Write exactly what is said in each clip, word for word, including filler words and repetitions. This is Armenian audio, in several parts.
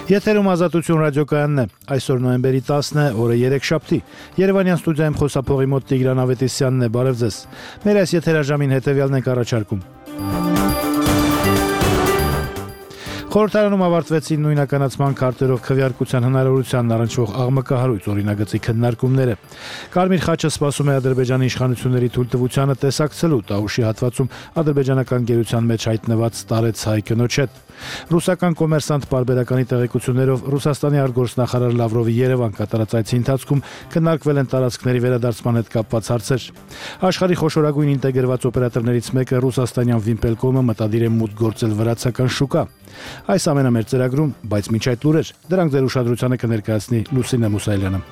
Եթերում Ազատություն ռադիոկայանն է, այսօր նոյեմբերի տասն է, օրը երեքշաբթի, Երևանյան ստուդիայում խոսափողի մոտ Տիգրան Ավետիսյանն է, բարև ձեզ, մեր այս եթերաժամին հետևյալն ենք առաջարկում. Խորհրդարանում ավարտվեցին նույնականացման քարտերով քվեարկության հնարավորությանն առնչվող աղմկահարույց օրինագծի քննարկումները։ Կարմիր խաչը սպասում է Ադրբեջանի իշխանությունների թույլտվությանը տեսակցելու Տաուշի հատվածում ադրբեջանական գերության մեջ հայտնված տարեց հայ կնոջ հետ։ Ռուսական կոմերսանտ պարբերականի տեղեկություններով Ռուսաստանի արտգործնախարար Լավրովի Երևան կատարած այցի ընթացքում քննարկվել են տարածքների վերադարձման հետ կապված հարցեր։ Աշխարհի խոշորագույն ինտեգրված օպերատորներից մեկը ռուսաստանյան Վիմպելկոմը մտադիր է մուտք գործել վրացական շուկա։ Այս ամենը մեր ծրագրում, բայց միջ այդ լուրեր, դրանք ձեր ուշադրությանը կներկայացնի Լուսինե Մուսայելյանը։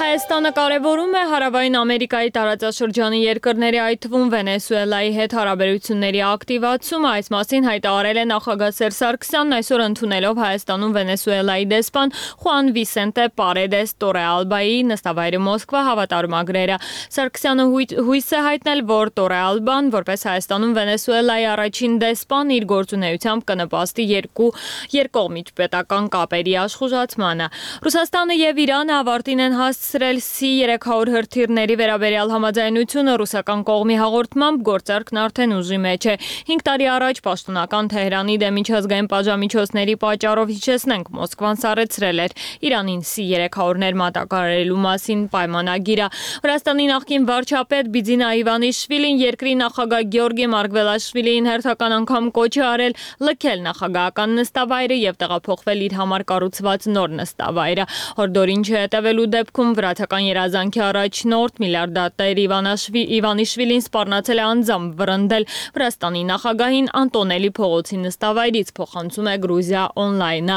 Հայաստանը կարևորում է Հարավային Ամերիկայի տարածաշրջանի երկրների, այդ թվում Վենեսուելայի հետ հարաբերությունների ակտիվացումը, այս մասին հայտարարել է նախագահ Սերժ Սարգսյանն այսօր ընդունելով Հայաստանում Վենեսուելայի դեսպան Խուան Վիսենտե Պարեդես Տորեալբայի նստավայրի Մոսկվա հավատարմագրերը։ Սարգսյանը հույս է հայտնել, որ Տորեալբան, որպես Հայաստանում Վենեսուելայի առաջին դեսպան, իր գործունեությամբ կնպաստի երկու երկկողմից պետական կապերի աշխուժացմանը։ Ռուսաստանը եւ Իրանը ավարտին են հասցրել Սի երեք հարյուր հրթիռների վերաբերյալ համաձայնությունը, ռուսական կողմի հաղորդմամբ գործարքն արդեն ուժի մեջ է։ Հինգ տարի առաջ պաշտոնական Թեհրանի դեմ միջազգային պատժամիջոցների պատճառով, հիշեցնենք, Մոսկվան սառեցրել էր Իրանին Սի երեք հարյուրներ մատակարարելու մասին պայմանագիրը։ Վրաստանի նախկին վարչապետ Բիձինա Իվանիշվիլին երկրի նախագահ Գեորգի Մարգվելաշվիլիին հերթական անգամ կոչ է արել լքել նախագահական նստավայրը եւ տեղափոխվել իր համար կառուցված նոր նստավայրը։ Հորդորին չհետևելու դեպքում վրացական երազանքի առաջնորդ միլիարդատեր Իվանիշվիլին սպառնացել է անձամբ վռնդել Վրաստանի նախագահին Անտոնելի փողոցի նստավայրից, փոխանցում է Գրուզիա օնլայնը։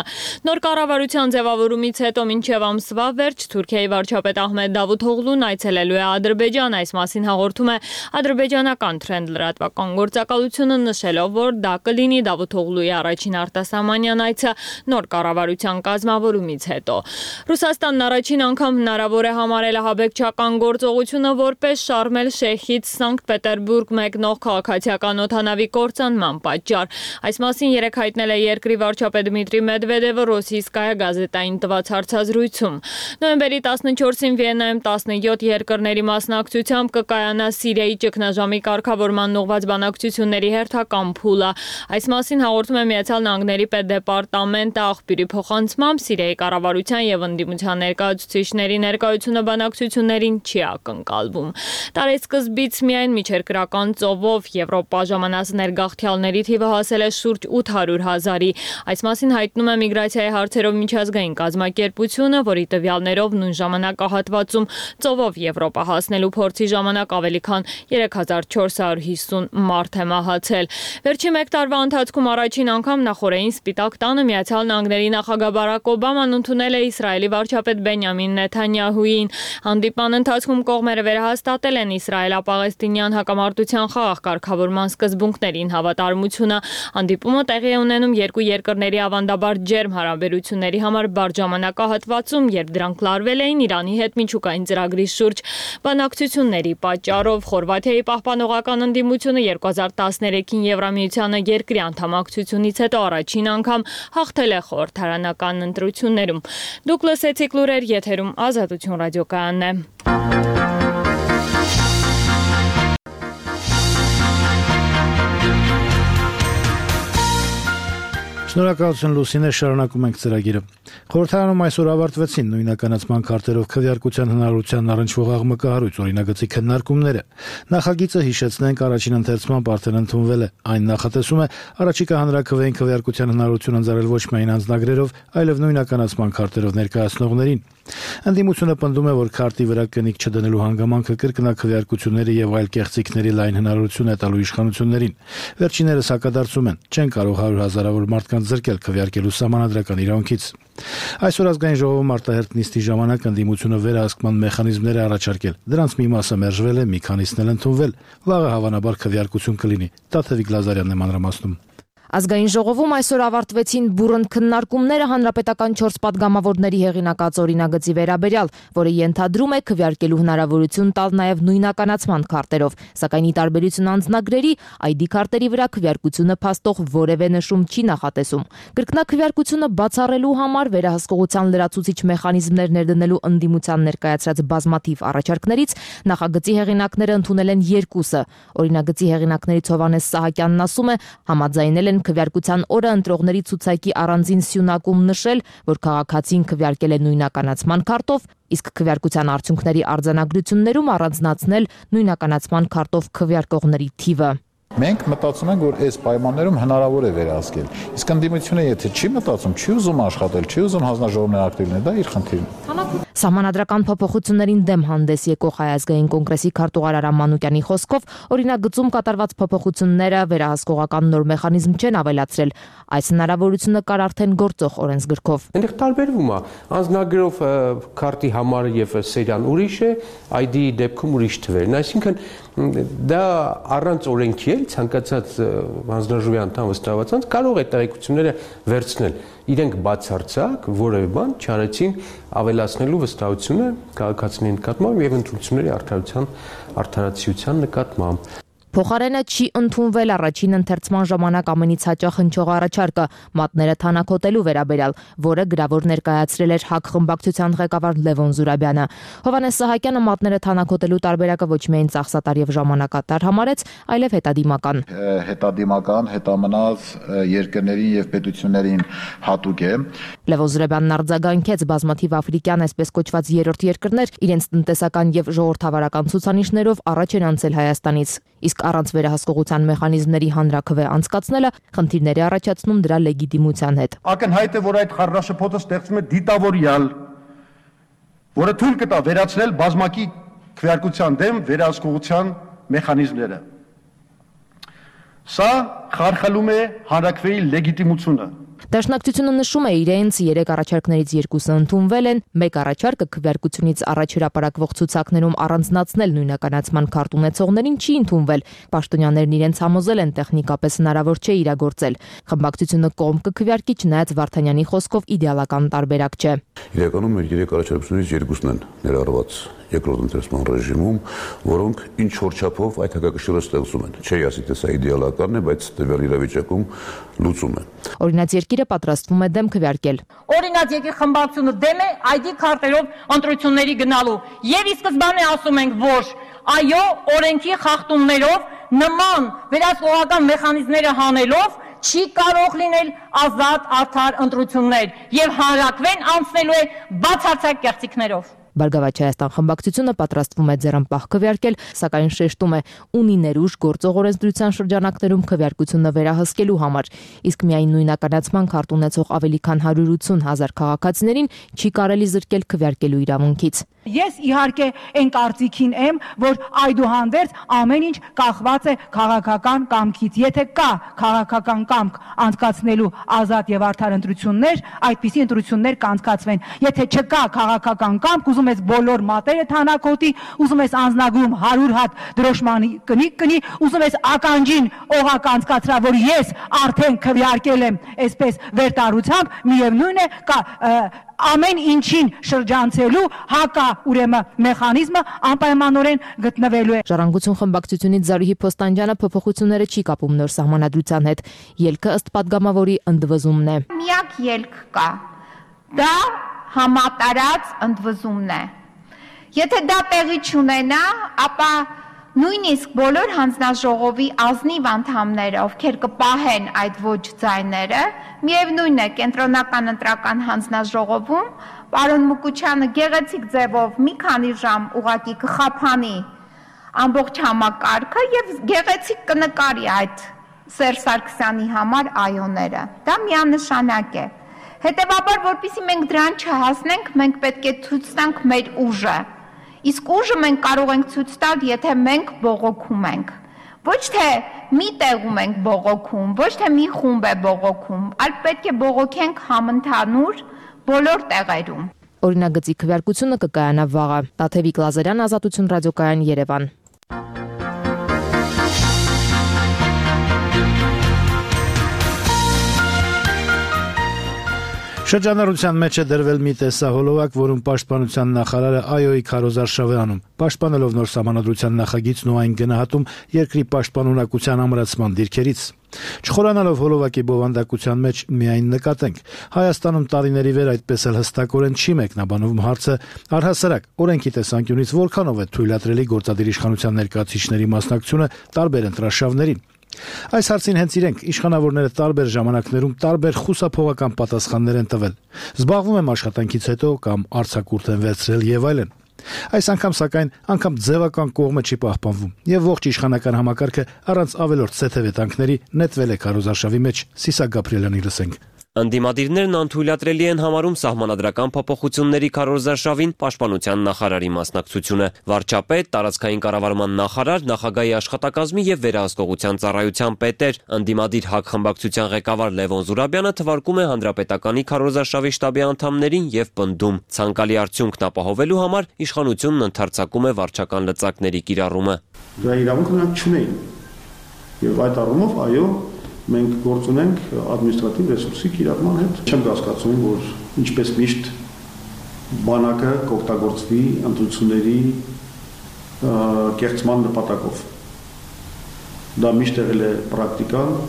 Նոր կառավարության ձևավորումից հետո մինչև ամսվա վերջ Թուրքիայի վարչապետ Ահմեդ Դավութօղլուն այցելելու է Ադրբեջան, այս մասին հաղորդում է ադրբեջանական Թրենդ լրատվական գործակալությունը, նշելով, որ դա կլինի Դավութօղլուի առաջին արտասահմանյան այցը նոր կառավարության կազմավորումից հետո։ Ռուսաստանն առաջին անգամ հնարավոր է համարել ահաբեկչական գործողությունը որպես Շարմ էլ-Շեյխից Սանկտ Պետերբուրգ մեկնող քաղաքացիական օդանավի կործանման պատճառ։ Այս մասին երեկ հայտնել է երկրի վարչապետ Դմիտրի Մեդվեդևը Ռոսիյսկայա գազետային տված հարցազրույցում։ Նոյեմբերի տասնչորսին Վիեննայում տասնյոթ երկրների մասնակցությամբ կկայանա Սիրիայի ճգնաժամի կարգավորման ուղղված բանակցությունների հերթական փուլը։ Այս մասին հաղորդում է Միացյալ Նահանգների պետդեպարտամենտը աղբյուրի փոխանցմամբ Սիրիայի կառավարության եւ ընդդիմության ներկայացուցիչների ներկայությունը բանակցություններին չի ակնկալվում։ Տարեսկզբից միայն միջերկրական ծովով Եվրոպա ժամանած ներգաղթյալների թիվը հասել է շուրջ ութ հարյուր հազարի։ Այս մասին հայտնում է միգրացիայի հարցերով միջազգային կազմակերպությունը, որի տվյալներով նույն ժամանակահատվածում ծովով Եվրոպա հասնելու փորձի ժամանակ ավելի քան երեք հազար չորս հարյուր հիսուն մարդ է մահացել։ Վերջին մեկ տարվա ընթացքում առաջին անգամ նախորդային Սպիտակ տանը Միացյալ Նահանգների նախագահ Բարակ Օբաման ընդունել է Իսրայելի վարչապետ Բենյամին Նեթանյահուին։ Հանդիպման ընթացքում կողմերը վերահաստատել են իսրայելա-պաղեստինյան հակամարտության խաղաղ կարգավորման սկզբունքներին հավատարմությունը։ Հանդիպումը տեղի է ունենում երկու երկրների ավանդաբար ջերմ հարաբերությունների համար բարդ ժամանակահատվածում, երբ դրանք լարվել էին Իրանի հետ միջուկային ծրագրի շուրջ բանակցությունների պատճառով։ Խորվաթիայի պահպանողական ընդդիմությունը երկու հազար տասներեքին Եվրամիությանը երկրի անդամակցությունից հետո առաջին անգամ հաղթել է խորհրդարանական ընտրություններում։ Դուք լսեցիք լուրեր, եթերում Ազատություն ռադիոկայանն է։ Շնորհակալություն Լուսինե, շարունակում ենք ծրագիրը։ Խորհրդարանում այսօր ավարտվեցին նույնականացման քարտերով քվեարկության հնարավորության առնչվող աղմկահարույց օրինագծի քննարկումները։ Նախագիծը, հիշեցնենք, առաջին ընթերցմամբ արդեն ընդունվել է։ Այն նախատեսում է առաջիկա հանրաքվեին քվեարկության հնարավորություն ընձեռել ոչ միայն անձնագրերով, այլև նույնականացման քարտերով ներկայացնողներին։ Ընդդիմությունը պնդում է, որ քարտի վրա կնիկ չդնելու հանգամանքը կրկնակվեարկությունների եւ այլ կեղծիքների լայն հնարավորություն է տալու իշխանություններին։ Վերջիններս հակադարձում են, չեն կարող հարյուր հազարավոր մարդկանց զրկել քվեարկելու սահմանադրական իրավունքից։ Այսօր ազգային ժողովում արտահերթ նիստի ժամանակ ընդդիմությունը վերահսկման մեխանիզմներ է առաջարկել։ Դրանց մի մասը մերժվել է, մի քանիսն էլ ընդունվել։ Վաղը հավանաբար քվեարկություն կլինի։ Տաթևիկ Լազարյանն է մանրամասնում։ Ազգային ժողովում այսօր ավարտվեցին բուռն քննարկումները հանրապետական չորս պատգամավորների հեղինակած օրինագծի վերաբերյալ, որը ենթադրում է քվեարկելու հնարավորություն տալ նաև նույնականացման քարտերով, սակայն ի տարբերություն անձնագրերի, այ դի քարտերի վրա քվեարկությունը փաստող որևէ նշում չի նախատեսում։ Կրկնակվեարկությունը բացառելու համար վերահսկողության լրացուցիչ մեխանիզմներ ներդնելու ընդդիմության ներկայացրած բազմաթիվ առաջարկներից նախագծի հեղինակները ընդունել են երկուսը։ Օրինագծի հեղինակներից Հովհաննես Սահակյանն ասում է, համաձայնել են քվեարկության օրը ընտրողների ցուցակի առանձին սյունակում նշել, որ քաղաքացին քվեարկել է նույնականացման քարտով, իսկ քվեարկության արդյունքների արձանագրություններում առանձնացնել նույնականացման քարտով քվեարկողների թիվը։ Մենք մտածում ենք, որ այս պայմաններում հնարավոր է վերահսկել։ Իսկ ընդդիմությունը եթե չի մտածում, չի ուզում աշխատել, չի ուզում հանձնաժողովներ ակտիվ լինել, դա իր խնդիրն է։ Սահմանադրական փոփոխություններին դեմ հանդես եկող Հայ ազգային կոնգրեսի քարտուղար Արամ Մանուկյանի խոսքով օրինագծում կատարված փոփոխությունները վերահսկողական նոր մեխանիզմ չեն ավելացրել։ Այս հնարավորությունը կար արդեն գործող օրենսգրքով։ Այնտեղ տարբերվում է անձնագրով քարտի համարը եւ սերիան ուրիշ է, այ դի դեպքում ուրիշ թվերն, այսինքն դա առանց օրենքի էլ ցանկացած հանձնաժողովի անդամ վստահված անձ կարող է տեղեկությունները վերցնել։ Իրենք բացարձակ որևէ բան չարեցին ավելացնելու վստահությունը քաղաքացիների նկատմամբ եւ ընտրությունների արդարության արդարացիության նկատմամբ։ Փոխարենը չի ընդունվել առաջին ընթերցման ժամանակ ամենից հաճախ հնչող առաջարկը մատները թանաքոտելու վերաբերյալ, որը գրավոր ներկայացրել էր ՀԱԿ խմբակցության ղեկավար Լևոն Զուրաբյանը։ Հովհաննես Սահակյանը մատները թանաքոտելու տարբերակը ոչ միայն ծախսատար եւ ժամանակատար համարեց, այլև հետադիմական։ Հետադիմական, հետամնաց երկրներին եւ պետություններին հատուկ է։ Լևոն Զուրաբյանն արձագանքեց բազմաթիվ աֆրիկյան, այսպես կոչված երրորդ երկրներ իրենց տնտեսական եւ ժողովրդավարական ցուցանիշներով առաջ են անցել Հայաստանից, իսկ առանց վերահսկողության մեխանիզմների հանրաքվե անցկացնելը խնդիրներ է առաջացնում դրա լեգիտիմության հետ։ Ակնհայտ է, որ այդ խառնաշփոթը ստեղծում է դիտավորյալ, որը թույլ կտա վերացնել բազմակի քվեարկության դեմ վերահսկողության մեխանիզմները։ Սա խարխլում է հանրաքվեի լեգիտիմությունը։ Դաշնակցությունը նշում է իրենց երեք առաջարկներից երկուսը ընդունվել են, մեկ առաջարկը քվեարկությունից առաջ հրապարակվող ցուցակներում առանձնացնել նույնականացման քարտ ունեցողներին չի ընդունվել։ Պաշտոնյաներն իրենց համոզել են տեխնիկապես հնարավոր չէ իրագործել։ Խմբակցությունը կողմ կքվեարկի, չնայած Վարդանյանի խոսքով իդեալական տարբերակ չէ։ Իրականում մեր երեք առաջարկությունից երկուսն են ներառված երկրորդ ընթերցման ռեժիմում, որոնք ինչ որ չափով այդ հակակշիռը ստեղծում են։ Չի ասի, թե սա իդեալականն է, բայց տվյալ իրավիճակում լուծում է։ Օրինաց երկիրը պատրաստվում է դեմ քվեարկել։ Օրինաց երկիր խմբակցությունը դեմ է այ դի քարտերով ընտրությունների գնալու։ Եվ ի սկզբանե ասում ենք, որ այո, օրենքի խախտումներով նման վերահսկողական մեխանիզմները հանելով չի կարող լինել ազատ արդար ընտրություններ եւ հանրաքվեն անցնելու է բացարձակ կեղծիքներով։ Բարգավաճ Հայաստան խմբակցությունը պատրաստվում է ձեռնպահ քվեարկել, սակայն շեշտում է ունի ներուժ գործող օրենսդրության շրջանակներում քվեարկությունը վերահսկելու համար, իսկ միայն նույնականացման քարտ ունեցող ավելի քան հարյուր ութուն հազար քաղաքացիներին չի կարելի զրկել քվեարկելու իրավունքից։ Ես իհարկե այն կարծիքին եմ, որ այդուհանդերձ ամեն ինչ կախված է քաղաքական կամքից։ Եթե կա քաղաքական կամք անցկացնելու ազատ եւ արդար ընտրություններ, այդպիսի ընտրություններ կանցկացվեն։ Եթե չկա քաղաքական կամք, ուզում ես բոլոր մատերը թանաքոտի, ուզում ես անձնագրում հարյուր հատ դրոշմանի կնիկ կնի, ուզում ես ականջին օղակ անցկացրա, որ ես արդեն քվեարկել եմ այսպես վերտարությամբ, միևնույն է կա ամեն ինչին շրջանցելու հակա ուրեմն մեխանիզմը անպայմանորեն գտնվելու է։ Ժառանգություն խմբակցությունից Զարուհի Փոստանջյանը փոփոխությունները չի կապում նոր սահմանադրության հետ։ Ելքը ըստ падգամավորի ընդվզումն է։ Միակ ելք կա։ Դա համատարած ընդվզումն է։ Եթե դա տեղի չունենա, ապա նույնիսկ բոլոր հանձնաժողովի ազնիվ անդամները, ովքեր կպահեն այդ ոչ ձայները, միևնույն է, կենտրոնական ընտրական հանձնաժողովում պարոն Մուկուչյանը գեղեցիկ ձևով մի քանի ժամ ուղակի կխափանի ամբողջ համակարգը եւ գեղեցիկ կնկարի այդ Սերժ Սարգսյանի համար այոները։ Դա միանշանակ է։ Հետևաբար, որpիսի մենք դրան չհասնենք, մենք պետք է ցույց տանք մեր ուժը։ Իսկ ուժը մենք կարող ենք ցույց տալ, եթե մենք բողոքում ենք։ Ոչ թե մի տեղում ենք բողոքում, ոչ թե մի խումբ է բողոքում, այլ պետք է բողոքենք համընդհանուր բոլոր տեղերում։ Օրինագծի քվեարկությունը կկայանա վաղը։ Տաթևիկ Լազարյան, Ազատություն ռադիոկայան, Երևան։ Շրջանառության մեջ է դրվել մի տեսահոլովակ, որում պաշտպանության նախարարը Այոյի քարոզարշավ է անում, պաշտպանելով նոր սահմանադրության նախագիծն ու այն գնահատում երկրի պաշտպանունակության ամրացման դիրքերից։ Չխորանալով հոլովակի բովանդակության մեջ միայն նկատենք, Հայաստանում տարիների վեր այդպես էլ հստակորեն չի մեկնաբանվում հարցը, առհասարակ օրենքի տեսանկյունից որքանով է թույլատրելի գործադիր իշխանության ներկայացուցիչների մասնակցությունը տարբեր ընտրաշավներին։ Այս հարցին հենց իրենք իշխանավորները տարբեր ժամանակներում տարբեր խուսափողական պատասխաններ են տվել։ Զբաղվում եմ աշխատանքից հետո կամ արձակուրդ են վերցրել եւ այլն։ Այս անգամ սակայն անգամ ձևական կողմը չի պահպանվում եւ ողջ իշխանական համակարգը առանց ավելորդ սեթեվետանքների նետվել է քարոզարշավի մեջ։ Սիսակ Գաբրիելյանի լսենք։ Ընդդիմադիրներն անթույլատրելի են համարում սահմանադրական փոփոխությունների քարոզարշավին պաշտպանության նախարարի մասնակցությունը։ Վարչապետ, տարածքային կառավարման նախարար, նախագահի աշխատակազմի եւ վերահսկողության ծառայության պետեր, ընդդիմադիր ՀԱԿ խմբակցության ղեկավար Լևոն Զուրաբյանը թվարկում է հանրապետականի քարոզարշավի շտաբի անդամներին եւ պնդում, ցանկալի արդյունքն ապահովելու համար իշխանությունն ընդարձակում է վարչական լծակների կիրառումը։ Դա իրավունք նրանք չունեին։ Եվ այդ առումով, այո, մենք գործ ունենք ադմինիստրատիվ ռեսուրսի կիրառման հետ։ Չեմ կասկածում, որ ինչպես միշտ բանակը կօգտագործվի ընտրությունների կեղծման նպատակով։ Դա միշտ եղել է պրակտիկան։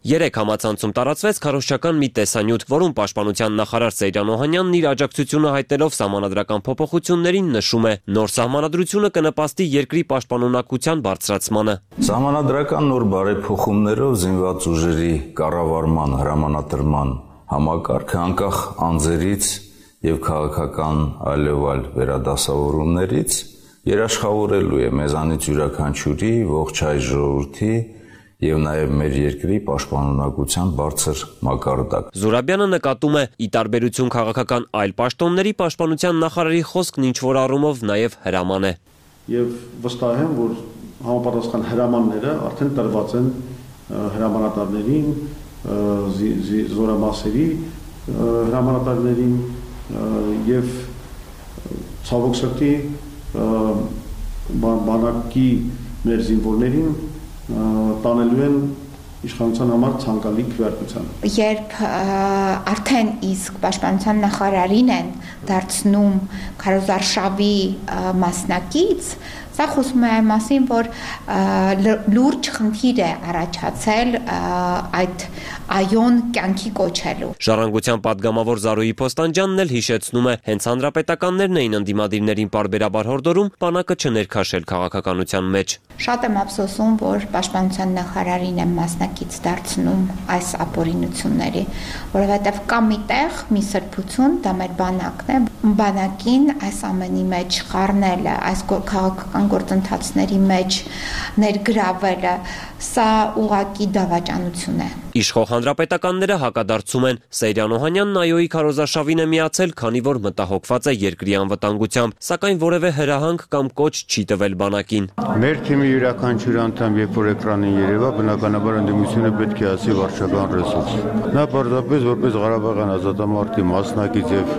Երեք համացանցում տարածվեց քարոզչական մի տեսանյութ, որում պաշտպանության նախարար Սեյրան Օհանյանն իր աջակցությունը հայտնելով սահմանադրական փոփոխություններին նշում է, նոր սահմանադրությունը կնպաստի երկրի պաշտպանունակության բարձրացմանը։ Սահմանադրական նոր բարեփոխումներով զինված ուժերի կառավարման հրամանատրման համակարգը անկախ անձերից եւ քաղաքական այլևալ վերադասավորումներից երաշխավորելու է մեզանից յուրաքանչյուրի ողջ հայ ժողովրդի եւ նաեւ մեր երկրի պաշտպանունակության բարձր մակարդակ։ Զուրաբյանը նկատում է, ի տարբերություն քաղաքական այլ պաշտոնների, պաշտպանության նախարարի խոսքն ինչ-որ առումով նաեւ հրաման է։ Եվ վստահ եմ, որ համապատասխան հրամանները արդեն տրված են հրամանատարներին, զորամասերի հրամանատարներին եւ ցավոք սրտի բանակի մեր զինվորներին տանելու են իշխանության համար ցանկալի քվեարկության։ Երբ արդեն իսկ պաշտպանության նախարարին են դարձնում քարոզարշավի մասնակից, սա խոսում է այն մասին, որ լուրջ խնդիր է առաջացել այդ այոն կյանքի կոչելու։ Ժառանգության պատգամավոր Զարուհի Փոստանջյանն էլ հիշեցնում է, հենց հանրապետականներն էին ընդդիմադիրներին պարբերաբար հորդորում բանակը չներքաշել քաղաքականության մեջ։ Շատ եմ ափսոսում, որ պաշտպանության նախարարին են մասնակից դարձնում այս ապօրինությունների, որովհետև կա մի տեղ, մի սրբություն, դա մեր բանակն է, բանակին այս ամենի մեջ խառնելը, այս քաղաքական գործընթացների մեջ ներգրավելը, սա ուղղակի դավաճանություն է։ Իշխող հանրապետականները հակադարձում են, Սեյրան Օհանյանն Այոյի քարոզարշավին է միացել, քանի որ մտահոգված է երկրի անվտանգությամբ, սակայն որևէ հրահանգ կամ կոչ չի տվել բանակին։ Մեր թիմի յուրաքանչյուր անդամ, երբ որ էկրանին երևա, բնականաբար ընդդիմությունը պետք է ասի վարչական ռեսուրս։ Նա պարզապես որպես Ղարաբաղյան ազատամարտի մասնակից եւ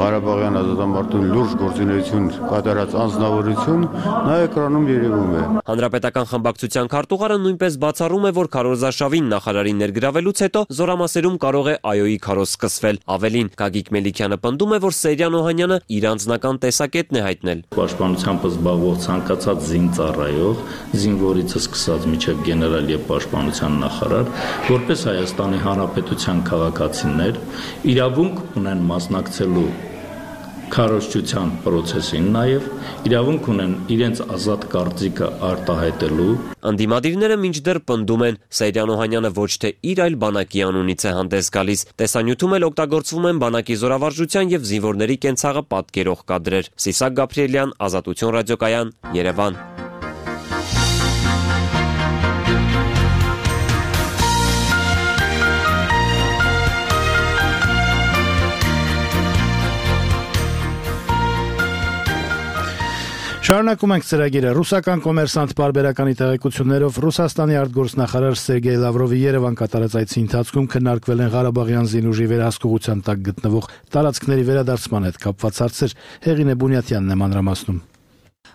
Ղարաբաղյան ազատամարտում լուրջ գործունեություն կատարած անձնավորություն, նա էկրանում երևում է։ Հանրապետական խմբակցության քարտուղարը նույնպես բացառում է, որ քարոզարշավին նախարարին ներգրավելուց հետո զորամասերում կարող է Այոյի քարոզ սկսվել։ Ավելին, Գագիկ Մելիքյանը պնդում է, որ Սեյրան Օհանյանը իր անձնական տեսակետն է հայտնել։ Պաշտպանությամբ զբաղվող ցանկացած զինծառայող, զինվորից սկսած մինչև գեներալ եւ պաշտպանության նախարար, որպես Հայաստանի Հանրապետության քաղաքացիներ, իրավունք ունեն մասնակցելու քարոզչության process-ին, նաև իրավունք ունեն իրենց ազատ կարծիքը արտահայտելու։ Ընդդիմադիրները մինչդեռ պնդում են, Սեյրան Օհանյանը ոչ թե իր, այլ բանակի անունից է հանդես գալիս։ Տեսանյութում էլ օգտագործվում են բանակի զորավարժության եւ զինվորների կենցաղը պատկերող կադրեր։ Սիսակ Գաբրիելյան, Ազատություն ռադիոկայան, Երևան։ Շարունակում ենք ծրագիրը։ Ռուսական կոմերսանտ պարբերականի տեղեկություններով Ռուսաստանի արտգործնախարար Սերգեյ Լավրովի Երևան կատարած այցի ընթացքում քննարկվել են Ղարաբաղյան զինուժի վերահսկողության տակ գտնվող տարածքների վերադարձման հետ կապված հարցեր։ Հեղինե Բունյաթյանն է մանրամասնում։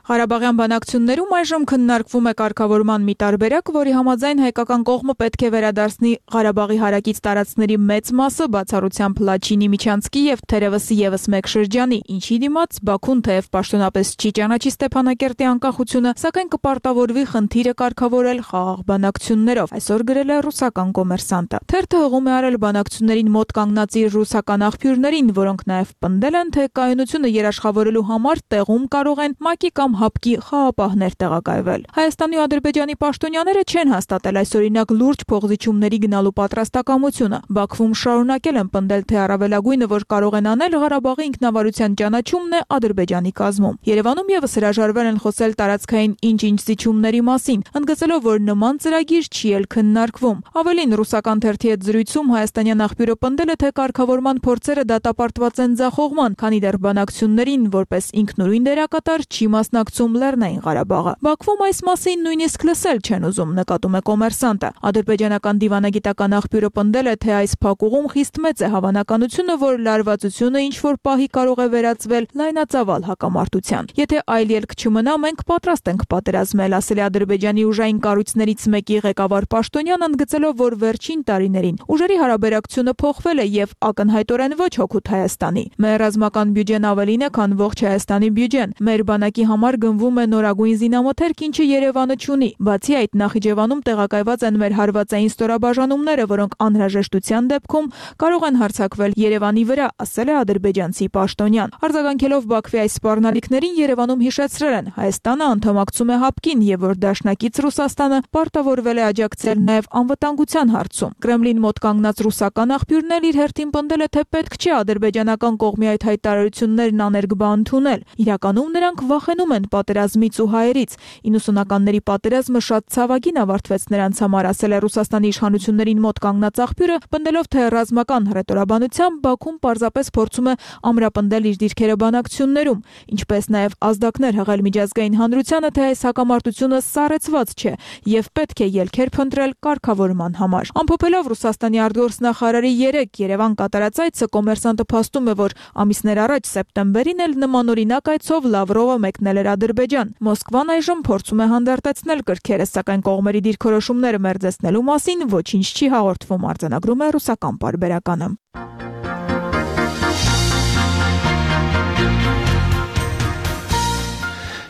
Ղարաբաղյան բանակցություններում այժմ քննարկվում է կարգավորման մի տարբերակ, որի համաձայն հայկական կողմը պետք է վերադարձնի Ղարաբաղի հարակից տարածքների մեծ մասը, բացառությամբ Լաչինի, Միչանցկի եւ թերևս եւս մեկ շրջանի, ինչի դիմաց Բաքուն թեև պաշտոնապես չի ճանաչի Ստեփանակերտի անկախությունը, սակայն կպարտավորվի խնդիրը կարգավորել խաղաղ բանակցություններով, այսօր գրել է ռուսական կոմերսանտը։ Թերթը հղում է արել բանակցություններին մոտ կանգնած իր ռուսական աղբյուրներին, որոնք նաեւ պնդել են, թե կայունությունը երաշխավորելու համար տեղում կարող են ՄԱԿ-ի կամ ՀԱՊԿ-ի խաղապահներ տեղակայվել։ Հայաստանի ու Ադրբեջանի պաշտոնյաները չեն հաստատել այս օրինակ լուրջ փոխզիջումների գնալու պատրաստակամությունը։ Բաքվում շարունակել են պնդել, թե առավելագույնը, որ կարող են անել, Ղարաբաղի ինքնավարության ճանաչումն է Ադրբեջանի կազմում։ Երևանում եւս հրաժարվել են խոսել տարածքային ինչ-ինչ զիջումների մասին, ընդգծելով, որ նման ծրագիր չի էլ քննարկվում։ Ավելին, ռուսական թերթի հետ զրույցում հայաստանյան աղբյուրը պնդել է, թե կարգավորման փորձերը դատապարտված են ձախողման, քանի դեռ բանակցություններին որպես ինքնուրույն դերակատար չի մասնակցում Լեռնային Ղարաբաղը։ Բաքվում այս մասին նույնիսկ լսել չեն ուզում, նկատում է կոմերսանտը։ Ադրբեջանական դիվանագիտական աղբյուրը պնդել է, թե այս փակուղում խիստ մեծ է հավանականությունը, որ լարվածությունը ինչ-որ պահի կարող է վերածվել լայնածավալ հակամարտության։ Եթե այլ ելք չմնա, մենք պատրաստ ենք պատերազմել, ասել է Ադրբեջանի ուժային կառույցներից մեկի ղեկավար պաշտոնյան, ընդգծելով, որ վերջին տարիներին ուժերի հարաբերակցությունը փոխվել է եւ ակնհայտորեն ոչ հօգուտ Հայաստանի։ Մեր ռազմական բյուջեն ավելին է, քան ողջ Հայաստանի բյուջեն։ Մեր բանակի համար գնվում է նորագույն զինամթերք, ինչը Երևանը չունի։ Բացի այդ, Նախիջևանում տեղակայված են մեր հարվածային ստորաբաժանումները, որոնք անհրաժեշտության դեպքում կարող են հարձակվել Երևանի վրա, ասել է ադրբեջանցի պաշտոնյան։ Արձագանքելով Բաքվի այս սպառնալիքներին, Երևանում հիշեցրել են, Հայաստանը անդամակցում է ՀԱՊԿ-ին եւ որ դաշնակից Ռուսաստանը պարտավորվել է աջակցել նաեւ անվտանգության հարցում։ Կրեմլին մոտ կանգնած ռուսական աղբյուրն էլ իր հերթին պնդել է, թե պետք չէ ադրբեջանական կողմի այդ հայտարարություններն աներկբա ընդունել։ Իրականում նրանք վախենում են պատերազմից ու հայերից։ իննսունականների պատերազմը շատ ցավագին ավարտվեց նրանց համար, ասել է Ռուսաստանի իշխանություններին մոտ կանգնած աղբյուրը, պնդելով, թե ռազմական հռետորաբանությամբ Բաքուն պարզապես փորձում է ամրապնդել իր դիրքերը բանակցություններում, ինչպես նաև ազդակներ հղել միջազգային հանրությանը, թե այս հակամարտությունը սառեցված չէ եւ պետք է ելքեր փնտրել կարգավորման համար։ Ամփոփելով Ռուսաստանի արտգործնախարարի երեք Երևան կատարած այցը, կոմերսանտը փաստում է, որ ամիսներ առաջ սեպտեմբերին էլ նմանօրինակ այցով Լավրովը մեկնել էր Ադրբեջան։ Մոսկվան այժմ փորձում է հանդարտեցնել կրքերը, սակայն կողմերի դիրքորոշումները մերձեցնելու մասին ոչինչ չի հաղորդվում, արձանագրում է ռուսական պարբերականը։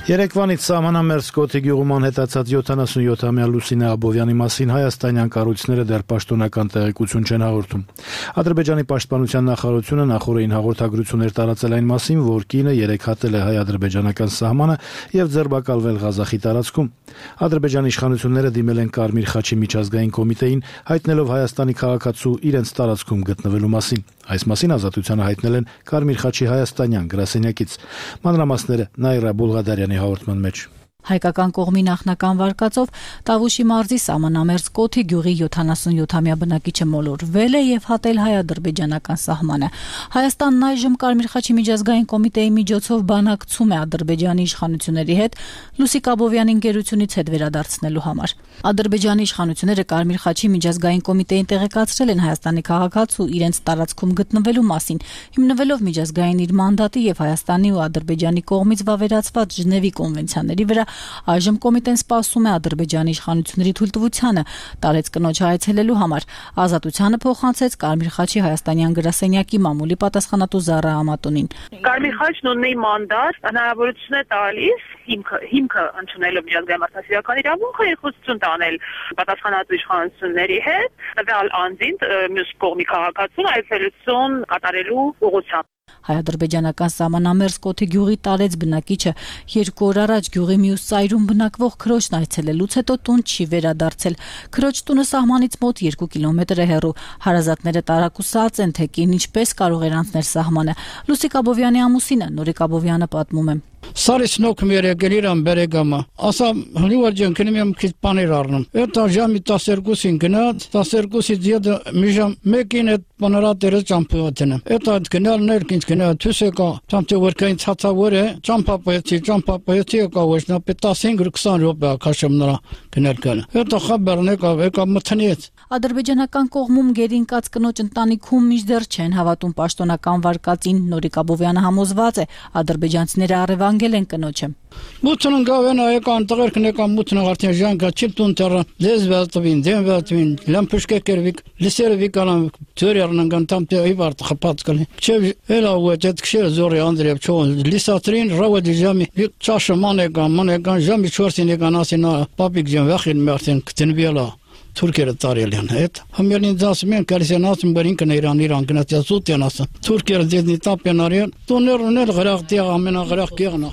Երեկվանից սահմանամերձ Կոթի գյուղում անհետացած յոթանասունյոթամյա Լուսինե Աբովյանի մասին հայաստանյան կառույցները դեռ պաշտոնական տեղեկություն չեն հաղորդում։ Ադրբեջանի պաշտպանության նախարարությունը նախորդին հաղորդագրություններ տարածել այն մասին, որ կինը երեք հատել է հայ-ադրբեջանական սահմանը եւ ձերբակալվել Ղազախի տարածքում։ Ադրբեջանի իշխանությունները դիմել են Կարմիր խաչի միջազգային կոմիտեին, հայտնելով Հայաստանի քաղաքացու իրենց տարածքում գտնվելու մասին։ Այս մասին ազատությանը հայտնել են Կարմիր խաչի հայաստանյան գրասենյակից։ Մանրամասները Նայրա Բուլղադարյանի հաղորդման մեջ։ Հայկական կողմի նախնական վարկածով Տավուշի մարզի սահմանամերձ Կոթի գյուղի յոթանասունյոթամյա բնակիչը մոլորվել է եւ հատել հայ-ադրբեջանական սահմանը։ Հայաստանն այժմ Կարմիր խաչի միջազգային կոմիտեի միջոցով բանակցում է Ադրբեջանի իշխանությունների հետ Լուսիկ Աբովյանի ընկերությունից հետ վերադարձնելու համար։ Ադրբեջանի իշխանությունները Կարմիր խաչի միջազգային կոմիտեին տեղեկացրել են Հայաստանի քաղաքացու իրենց տարածքում գտնվելու մասին, հիմնվելով միջազգային իր մանդատի եւ Հայաստանի ու Ադրբեջանի կողմից վավերացված Ժնևի կոնվենցիաների վրա այժմ կոմիտեն սպասում է Ադրբեջանի իշխանությունների թույլտվությանը տարեց կնոջ այցելելու համար։ Ազատությանը փոխանցեց Կարմիր խաչի հայաստանյան գրասենյակի մամուլի պատասխանատու Զարա Ամատունին։ Կարմիր խաչն ունի մանդատ, հնարավորություն է տալիս հիմքը հիմքը ընդունելով միջազգային մարդասիրական իրավունքը երկխոսություն տանել պատասխանատու իշխանությունների հետ, տվյալ անձին մյուս կողմի քաղաքացուն այցելություն կատարելու ուղղությամբ։ Հայ-ադրբեջանական սահմանամերձ Կոթի գյուղի տարեց բնակիչը երկու օր առաջ գյուղի մյուս ծայրում բնակվող քրոջն այցելելուց հետո տուն չի վերադարձել։ Քրոջ տունը սահմանից մոտ երկու կիլոմետր է հեռու։ Հարազատները տարակուսած են, թե կին ինչպես կարող էր անցնել սահմանը։ Լուսիկ Աբովյանի ամուսինը Նորիկ Աբովյանը պատմում է։ Սարից նոքում երեկել իրան բերեգամա, ասա հնիվար ջան կնեմ եմ քիչ բաներ առնում։ Էտա ժամի տասներկուսին գնաց, տասներկուսից յետը մի ժամ մեկին այդ բանարատերը ճամփուատենը։ Էտա գնալ ներքինց գնալ թուսեկա, ճամփը որքային ցածավոր է, ճամփապայեցի, ճամփապայեցի եկա ոչնա տասնհինգ քսան րոպե քաշեմ նրա։ գնել գալ։ Հետո խաբերն եկավ, եկավ մթնեց։ Ադրբեջանական կողմում գերինկած կնոջ ընտանիքում միշտ չեն հավատում պաշտոնական վարկածին։ Նորիկ Աբովյանը համոզված է, ադրբեջանցիները առևանգել են կնոջը։ Մութն գավեն այական տղերքն եկան մութն արդեն ժանկա չիլտուն տերը լեզվելտվին, դեմվելտվին, լամպուշկեկերվիկ, լիսերվիկալան ծորերն գանտամ տե իվարտ խփած կլի։ Չէ էլա ուետ քշեր զորի Անդրեև չոն լիսատրին ռավդի ժամի ճաշը մանեկան մանեկան ժամի չորսին եկան ասին պապիկ ջան վախին մարտին կտնվելա Թուրքերը տարելյան հետ համերին դասում են կարիսեն ասում բերին կն Իրան Իրան գնացած ուտեն ասում Թուրքերը դեդնի տապենարին տոներն էլ գրախտի ամենագրախ կեղնա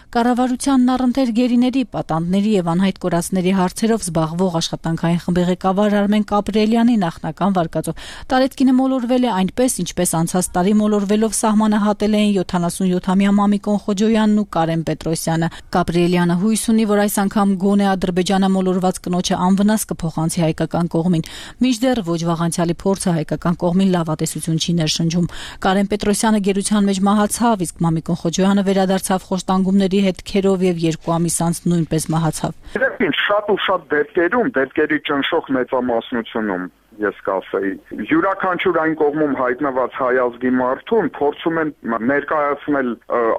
Կառավարությանն առընթեր գերիների, պատանդների եւ անհայտ կորածների հարցերով զբաղվող աշխատանքային խմբի ղեկավար Արմեն Կապրելյանի նախնական վարկածով տարեթկինը մոլորվել է այնպես, ինչպես անցած տարի մոլորվելով սահմանահատել էին յոթանասունյոթամյա Մամիկոն Խոջոյանն ու Կարեն Պետրոսյանը։ Կապրելյանը հույս ունի, որ այս անգամ գոնե Ադրբեջանը մոլորված կնոջը անվնաս կփոխանցի հայկական կողմին։ Մինչդեռ ոչ վաղանցյալի փորձը հայկական կողմին լավատեսություն չի ներշնչում։ Կարեն Պետրոսյանը գերության մեջ մահացավ, իսկ Մամիկոն Խոջոյանը վերադարձավ խոշտանգումների հետքերով եւ երկու ամիս անց նույնպես մահացավ։ Դեպքին շատ ու շատ դեպքերում, դեպքերի ճնշող մեծամասնությունում ես կասեի, յուրաքանչյուր այն կողմում հայտնված հայազգի մարդուն փորձում են ներկայացնել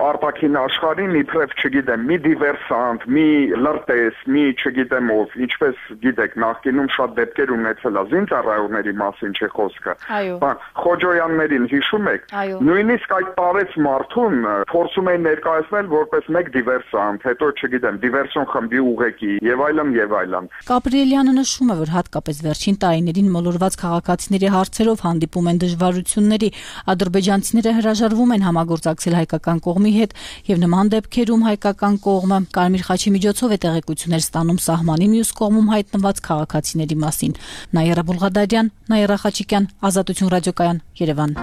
արտաքին աշխարհին իբրև, չգիտեմ, մի դիվերսանտ, մի լրտես, մի չգիտեմ ով, ինչպես գիտեք, նախկինում շատ դեպքեր ունեցել է զինծառայողների մասին չէ խոսքը։ Բան Խոջոյաններին հիշում եք, նույնիսկ այդ տարեց մարդուն փորձում են ներկայացնել որպես մեկ դիվերսանտ, հետո չգիտեմ, դիվերսիոն խմբի ուղեկի եւ այլն եւ այլն։ Կապրելյանը նշում է, որ հատկապես վերջին տարիներին մոլորված քաղաքացիների հարցերով հանդիպում են դժվարությունների, ադրբեջանցիները հրաժարվում են համագործակցել հայկական կողմի հետ եւ նման դեպքերում հայկական կողմը Կարմիր խաչի միջոցով է տեղեկություններ ստանում սահմանի մյուս կողմում հայտնված քաղաքացիների մասին։ Նաիրա Բուլղադարյան, Նաիրա Խաչիկյան, Ազատություն ռադիոկայան, Երևան։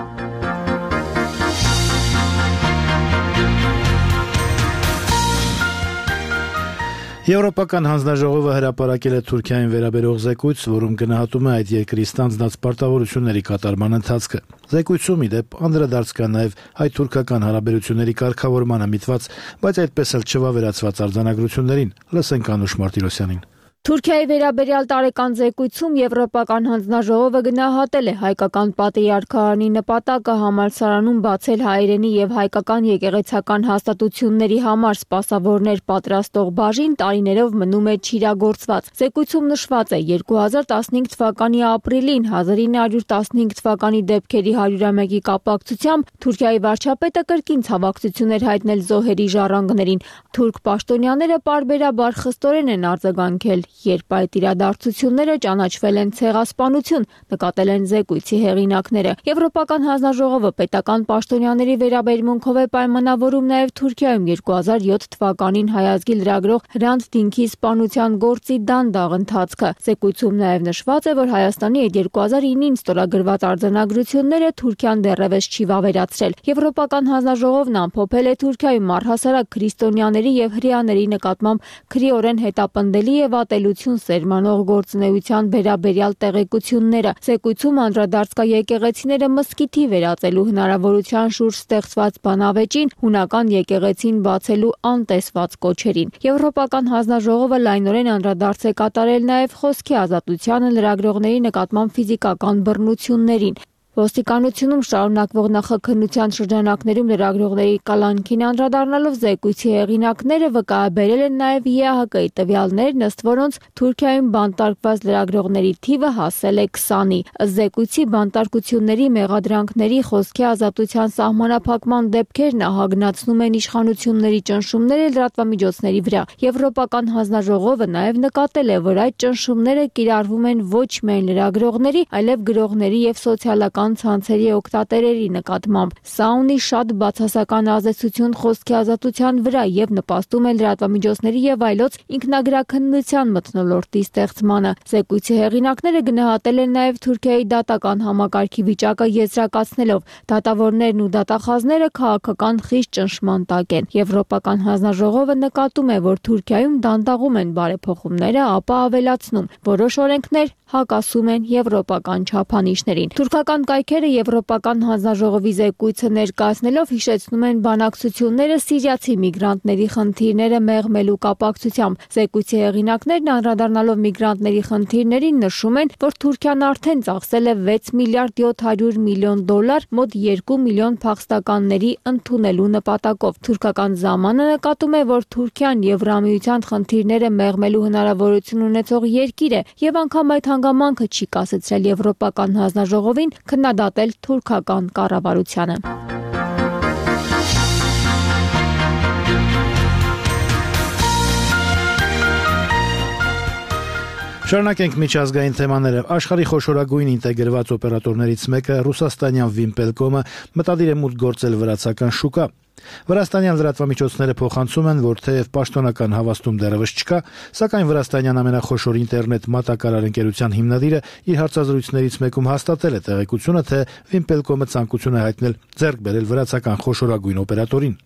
Եվրոպական հանձնաժողովը հրապարակել է Թուրքիային վերաբերող զեկույց, որում գնահատում է այդ երկրի ստանձնած պարտավորությունների կատարման ընթացքը։ Զեկույցում ի դեպ անդրադարձ կա նաև հայ-թուրքական հարաբերությունների կարգավորմանը միտված, բայց այդպես էլ չվավերացված արձանագրություններին։ Լսենք Անուշ Մարտիրոսյանին։ Թուրքիայի վերաբերյալ տարեկան զեկույցում Եվրոպական հանձնաժողովը գնահատել է հայկական պատրիարքարանի նպատակը համալսարանում բացել հայերենի եւ հայկական եկեղեցական հաստատությունների համար սպասավորներ պատրաստող բաժին տարիներով մնում է չիրագործված։ Զեկույցում նշված է երկու հազար տասնհինգ թվականի ապրիլին հազար ինը հարյուր տասնհինգ թվականի դեպքերի հարյուրամեկի կապակցությամբ Թուրքիայի վարչապետը կրկին ցավակցություն էր հայտնել զոհերի ժառանգներին։ Թուրք պաշտոնյաները պարբերաբար խստորեն են արձագանքել, երբ այդ իրադարձությունները ճանաչվել են ցեղասպանություն, նկատել են զեկույցի հեղինակները։ Եվրոպական հանձնաժողովը պետական պաշտոնյաների վերաբերմունքով է պայմանավորում նաև Թուրքիայում երկու հազար յոթ թվականին հայազգի լրագրող Հրանտ Դինքի սպանության գործի դանդաղ ընթացքը։ Զեկույցում նաև նշված է, որ Հայաստանի այդ երկու հազար ինին ստորագրված արձանագրությունները Թուրքիան դեռևս չի վավերացրել։ Եվրոպական հանձնաժողովն ամփոփել է Թուրքիայում առհասարակ քրիստոնյաների եւ հրեաների նկատմամբ քրեորեն հետապնդելի եւ ատելություն սերմանող գործունեության վերաբերյալ տեղեկությունները։ Զեկույցում անդրադարձ կա եկեղեցիները մզկիթի վերածելու հնարավորության շուրջ ստեղծված բանավեճին, հունական եկեղեցին բացելու անտեսված կոչերին։ Եվրոպական հանձնաժողովը լայնորեն անդրադարձ է կատարել նաև խոսքի ազատությանը, լրագրողների նկատմամբ ֆիզիկական բռնություններին։ Ոստիկանությունում շարունակվող նախաքննության շրջանակներում լրագրողների կալանքին անդրադառնալով զեկույցի հեղինակները վկայաբերել են նաև ԵԱՀԿ-ի տվյալներն, ըստ որոնց Թուրքիայում բանտարկված լրագրողների թիվը հասել է քսանի։ Ըստ զեկույցի բանտարկությունների, մեղադրանքների, խոսքի ազատության սահմանափակման դեպքերն ահագնացնում են իշխանությունների ճնշումները լրատվամիջոցների վրա։ Եվրոպական հանձնաժողովը նաև նկատել է, որ այդ ճնշումները կիրառվում են ոչ միայն լրագրողների, այլև գրողների եւ սոցիալական ցանցերի օգտատերերի նկատմամբ։ Սա ունի շատ բացասական ազդեցություն խոսքի ազատության վրա եւ նպաստում է լրատվամիջոցների եւ այլոց ինքնագրաքննության մթնոլորտի ստեղծմանը։ Զեկույցի հեղինակները գնահատել են նաեւ Թուրքիայի դատական համակարգի վիճակը եզրակացնելով, դատավորներն ու դատախազները քաղաքական խիստ ճնշման տակ են։ Եվրոպական հանձնաժողովը նկատում է, որ Թուրքիայում դանդաղում են բարեփոխումները, ապա ավելացնում, որոշ օրենքներ հակասում են եվրոպական չափանիշներին։ Թուրքական կայքերը Եվրոպական հանձնաժողովի զեկույցը ներկայացնելով հիշեցնում են բանակցությունները սիրիացի միգրանտների խնդիրները մեղմելու կապակցությամբ։ Զեկույցի հեղինակներն անդրադառնալով միգրանտների խնդիրներին նշում են, որ Թուրքիան արդեն ծախսել է վեց միլիարդ յոթ հարյուր միլիոն դոլար մոտ երկու միլիոն փախստականների ընդունելու նպատակով։ Թուրքական զամանը նկատում է, որ Թուրքիան Եվրամիության խնդիրները մեղմելու հնարավորություն ունեցող երկիր է եւ անգամ այդ հանգամանքը չի կասեցրել Եվրոպական հանձնաժողովին քննադատել թուրքական կառավարությանը։ Շարունակենք միջազգային թեմաները։ Աշխարհի խոշորագույն ինտեգրված օպերատորներից մեկը ռուսաստանյան Վիմպելկոմը մտադիր է մուտք գործել վրացական շուկա։ Վրաստանյան լրատվամիջոցները փոխանցում են, որ թեև պաշտոնական հավաստում դեռևս չկա, սակայն վրաստանյան ամենախոշոր ինտերնետ մատակարար ընկերության հիմնադիրը իր հարցազրույցներից մեկում հաստատել է տեղեկությունը, թե Վիմպելկոմը ցանկություն է հայտնել ձեռք բերել վրացական խոշորագույն օպերատորին։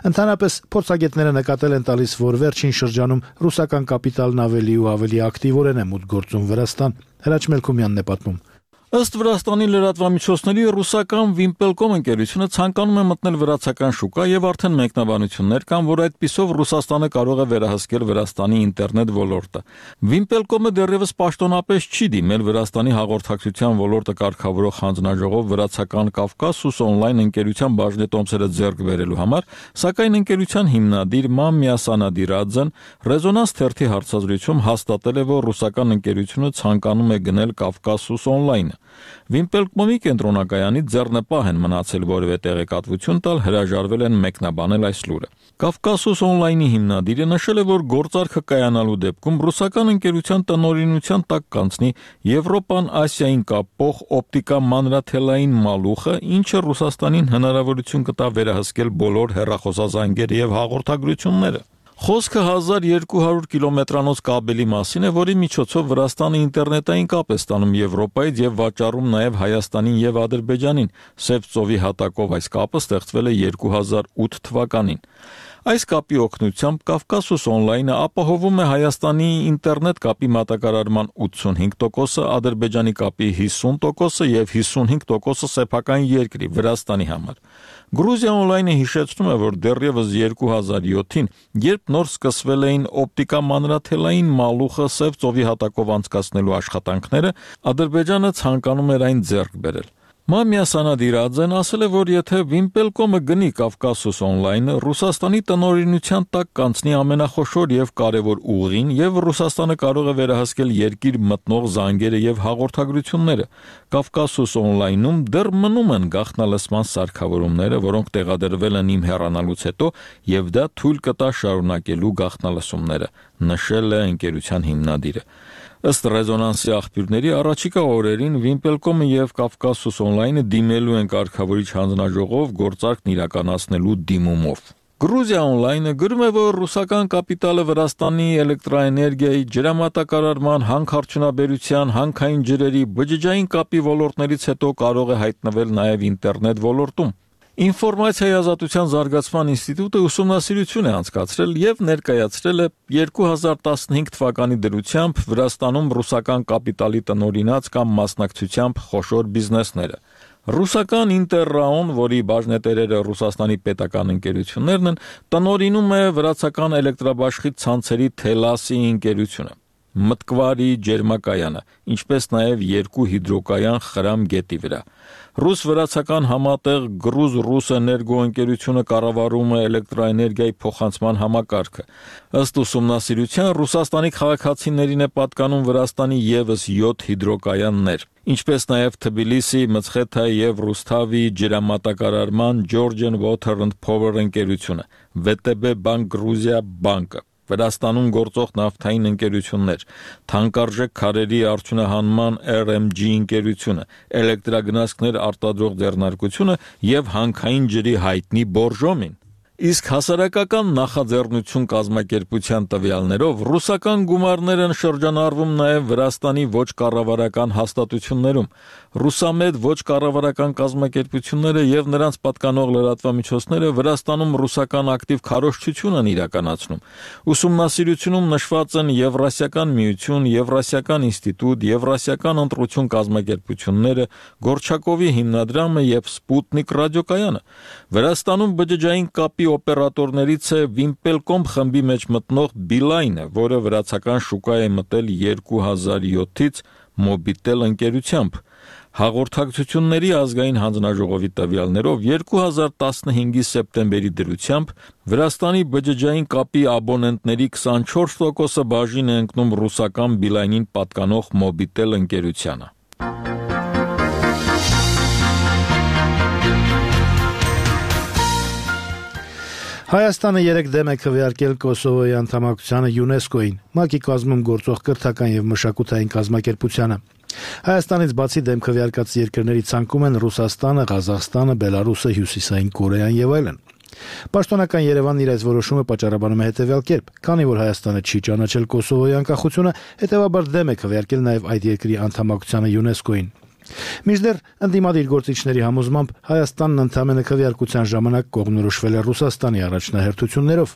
Ընդհանրապես փորձագետները նկատել են տալիս, որ վերջին շրջանում ռուսական կապիտալն ավելի ու ավելի ակտիվորեն է մուտք գործում Վրաստան։ Հրաչ Մելքումյանն է պատմում։ Ըստ Վրաստանի լրատվամիջոցների ռուսական Վիմպելկոմ ընկերությունը ցանկանում է մտնել վրացական շուկա եւ արդեն մեկնաբանություններ կան, որ այդպիսով Ռուսաստանը կարող է վերահսկել Վրաստանի ինտերնետ ոլորտը։ Վիմպելկոմը դեռևս պաշտոնապես չի դիմել Վրաստանի հաղորդակցության ոլորտը կարգավորող հանձնաժողով վրացական Կավկասուս օնլայն ընկերության բաժնետոմսերը ձեռք բերելու համար, սակայն ընկերության հիմնադիր Մամիա Սանադիրաձեն Ռեզոնանս թերթի հարցազրույցում հաստատել է, որ ռուսական ընկերությունը ցանկանում է գնել Կավկասուս օնլայն։ Վիմպելկոմի կենտրոնակայանից ձեռնպահ են մնացել որևէ տեղեկատվություն տալ, հրաժարվել են մեկնաբանել այս լուրը։ Կավկասուս օնլայնի հիմնադիրը նշել է, որ գործարքը կայանալու դեպքում ռուսական ընկերության տնօրինության տակ կանցնի Եվրոպան Ասիային կապող օպտիկա մանրաթելային մալուխը, ինչը Ռուսաստանին հնարավորություն կտա վերահսկել բոլոր հեռախոսազանգերը եւ հաղորդագրությունները։ Խոսքը հազար երկու հարյուր կիլոմետրանոց կաբելի մասին է, որի միջոցով Վրաստանը ինտերնետային կապ է ստանում Եվրոպայից եւ վաճառում նաեւ Հայաստանին եւ Ադրբեջանին։ Սև ծովի հատակով այս կապը ստեղծվել է երկու հազար ութ թվականին։ Այս կապի օգնությամբ Կավկասուս օնլայնը ապահովում է Հայաստանի ինտերնետ կապի մատակարարման ութսունհինգ տոկոսը, Ադրբեջանի կապի հիսուն տոկոսը եւ հիսունհինգ տոկոսը սեփական երկրի Վրաստանի համար։ Գրուզիա օնլայնը հիշեցնում է, որ դեռևս երկու հազար յոթին, երբ նոր սկսվել էին օպտիկա մանրաթելային մալուխը Սև ծովի հատակով անցկացնելու աշխատանքները, Ադրբեջանը ցանկանում էր այն ձեռք բերել։ Մամիա Սանադիրաձեն ասել է, որ եթե Վիմպելկոմը գնի Կավկասուս օնլայնը, Ռուսաստանի տնօրինության տակ կանցնի ամենախոշոր եւ կարեւոր ուղին եւ Ռուսաստանը կարող է վերահսկել երկիր մտնող զանգերը եւ հաղորդագրությունները։ Կավկասուս օնլայնում դեռ մնում են գաղտնալսման սարքավորումները, որոնք տեղադրվել են իմ հեռանալուց հետո եւ դա թույլ կտա շարունակելու գաղտնալսումները, նշել է ընկերության հիմնադիրը։ Ըստ ռեզոնանսի աղբյուրների առաջիկա օրերին Վիմպելկոմը եւ Կավկասուս օնլայնը դիմելու են կարգավորիչ հանձնաժողով գործարքն իրականացնելու դիմումով։ Գրուզիա օնլայնը գրում է, որ ռուսական կապիտալը Վրաստանի էլեկտրաէներգիայի, ջրամատակարարման, հանքարդյունաբերության, հանքային ջրերի, բջջային կապի ոլորտներից հետո կարող է հայտնվել նաեւ ինտերնետ ոլորտում։ Ինֆորմացիայի ազատության զարգացման ինստիտուտը ուսումնասիրություն է անցկացրել եւ ներկայացրել է երկու հազար տասնհինգ թվականի դրությամբ Վրաստանում ռուսական կապիտալի տնօրինած կամ մասնակցությամբ խոշոր բիզնեսները։ Ռուսական Ինտերրաուն, որի բաժնետերերը Ռուսաստանի պետական ընկերություններն են, տնօրինում է վրացական էլեկտրաբաշխի ցանցերի Թելասի ընկերությունը, Մտկվարի ջերմակայանը, ինչպես նաև երկու հիդրոկայան Խրամ գետի վրա։ Ռուս-վրացական համատեղ Գրուզ-ռուս էներգո ընկերությունը կառավարում է էլեկտրաէներգիայի փոխանցման համակարգը։ Ըստ ուսումնասիրության Ռուսաստանի քաղաքացիներին է պատկանում Վրաստանի ևս յոթ հիդրոկայաններ, ինչպես նաև Թբիլիսի, Մցխեթայի եւ Ռուսթավի ջրամատակարարման Georgian Water and Power ընկերությունը, վե տե բե Bank Gruzia բանկը, Վրաստանում գործող նավթային ընկերություններ, թանկարժեք քարերի արդյունահանման R M G ընկերությունը, էլեկտրագնացքներ արտադրող ձեռնարկությունը եւ հանքային ջրի հայտնի Բորժոմին։ Իսկ հասարակական նախաձեռնություն կազմակերպության տվյալներով ռուսական գումարներ են շրջանառվում նաև Վրաստանի ոչ կառավարական հաստատություններում։ Ռուսամետ ոչ կառավարական կազմակերպությունները եւ նրանց պատկանող լրատվամիջոցները Վրաստանում ռուսական ակտիվ քարոզչություն են իրականացնում։ Ուսումնասիրությունում նշված են Եվրասիական միություն, Եվրասիական ինստիտուտ, Եվրասիական ընտրություն կազմակերպությունները, Գորչակովի հիմնադրամը եւ Սպուտնիկ ռադիոկայանը։ Վրաստանում բջջային կապի օպերատորներից է Վիմպելկոմ խմբի մեջ մտնող Բիլայնը, որը վրացական շուկա է մտել երկու հազար յոթից Մոբիտել ընկերությամբ։ Հաղորդակցությունների ազգային հանձնաժողովի տվյալներով երկու հազար տասնհինգի սեպտեմբերի դրությամբ Վրաստանի բջջային կապի աբոնենտների քսանչորս տոկոսը բաժին է ընկնում ռուսական Բիլայնին պատկանող Մոբիտել ընկերությանը։ Հայաստանը երեք դեմ է քվեարկել Կոսովոյի անդամակցությանը ՅՈՒՆԵՍԿՕ-ին, ՄԱԿ-ի կազմում գործող կրթական եւ մշակութային կազմակերպությանը։ Հայաստանից բացի դեմ քվեարկած երկրների ցանկում են Ռուսաստանը, Ղազախստանը, Բելարուսը, Հյուսիսային Կորեան եւ այլն։ Պաշտոնական Երևանն իր այս որոշումը պատճառաբանում է հետեւյալ կերպ. քանի որ Հայաստանը չի ճանաչել Կոսովոյի անկախությունը, հետեւաբար դեմ է քվեարկել նաեւ այդ երկրի անդամակցությանը ՅՈՒՆԵՍԿՕ-ին։ Մինչդեռ ընդդիմադիր գործիչների համոզմամբ Հայաստանն ընդամենը քվեարկության ժամանակ կողմնորոշվել է Ռուսաստանի առաջնահերթություններով։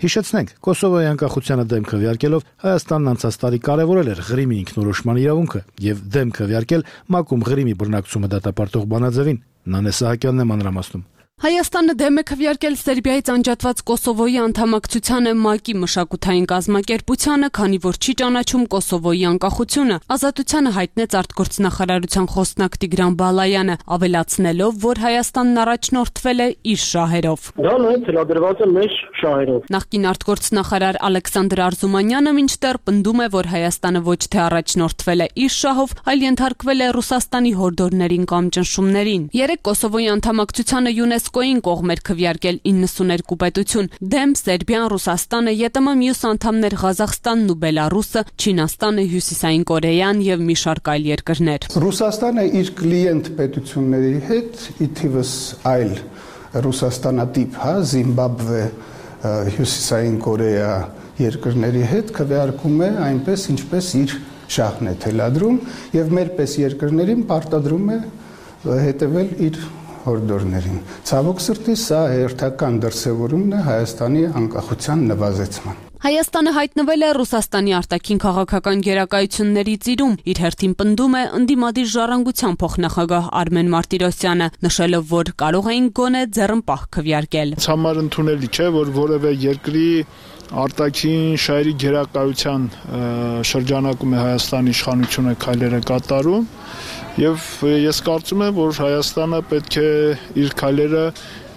Հիշեցնենք, Կոսովոյի անկախությանը դեմ քվեարկելով Հայաստանն անցած տարի կարևորել էր Ղրիմի ինքնորոշման իրավունքը եւ դեմ քվեարկել ՄԱԿ-ում Ղրիմի բռնակցումը դատապարտող բանաձևին։ Նանե Սահակյանն է մանրամասնում։ Հայաստանը դեմ է քվեարկել Սերբիայից անջատված Կոսովոյի անդամակցությանը ՄԱԿ-ի մշակութային կազմակերպությանը, քանի որ չի ճանաչում Կոսովոյի անկախությունը, ազատությանը հայտնեց արտգործնախարարության խոսնակ Տիգրան Բալայանը, ավելացնելով, որ Հայաստանն առաջնորդվել է իր շահերով։ Դա նաև թելադրված է մեր շահերով։ Նախկին արտգործնախարար Ալեքսանդր Արզումանյանը մինչդեռ պնդում է, որ Հայաստանը ոչ թե առաջնորդվել է իր շահով, այլ ենթարկվել է Ռուսաստանի հորդորներին կամ ճնշումներին։ Երեք Կոսովոյի անդամակցությանը ՅՈՒՆԵՍԿՕ-ին կողմ էր քվեարկել իննսուներկու պետություն՝ դեմ Սերբիան, Ռուսաստանը, ԵՏՄ մյուս անդամներ Ղազախստանն ու Բելարուսը, Չինաստանը, Հյուսիսային Կորեան եւ մի շարք այլ երկրներ։ Ռուսաստանը իր կլիենտ պետությունների հետ, ի թիվս այլ Ռուսաստանատիպ, հա, Զիմբաբվե, Հյուսիսային Կորեա երկրների հետ քվեարկում է այնպես, ինչպես իր շահն է թելադրում եւ մեր պես երկրներին պարտադրում է հետևել իր հորդորներին։ Ցավոք սրտի սա հերթական դրսևորումն է Հայաստանի անկախության նվազեցման։ Հայաստանը հայտնվել է Ռուսաստանի արտաքին քաղաքական գերակայությունների ծիրում, իր հերթին պնդում է ընդդիմադիր ժառանգության փոխնախագահ Արմեն Մարտիրոսյանը, նշելով, որ կարող էին գոնե ձեռնպահ քվեարկել։ Համար ընդունելի չէ, որ որևէ երկրի արտաքին շահերի գերակայության շրջանակում է Հայաստանի իշխանությունը քայլերը կատարում եւ ես կարծում եմ, որ Հայաստանը պետք է իր քայլերը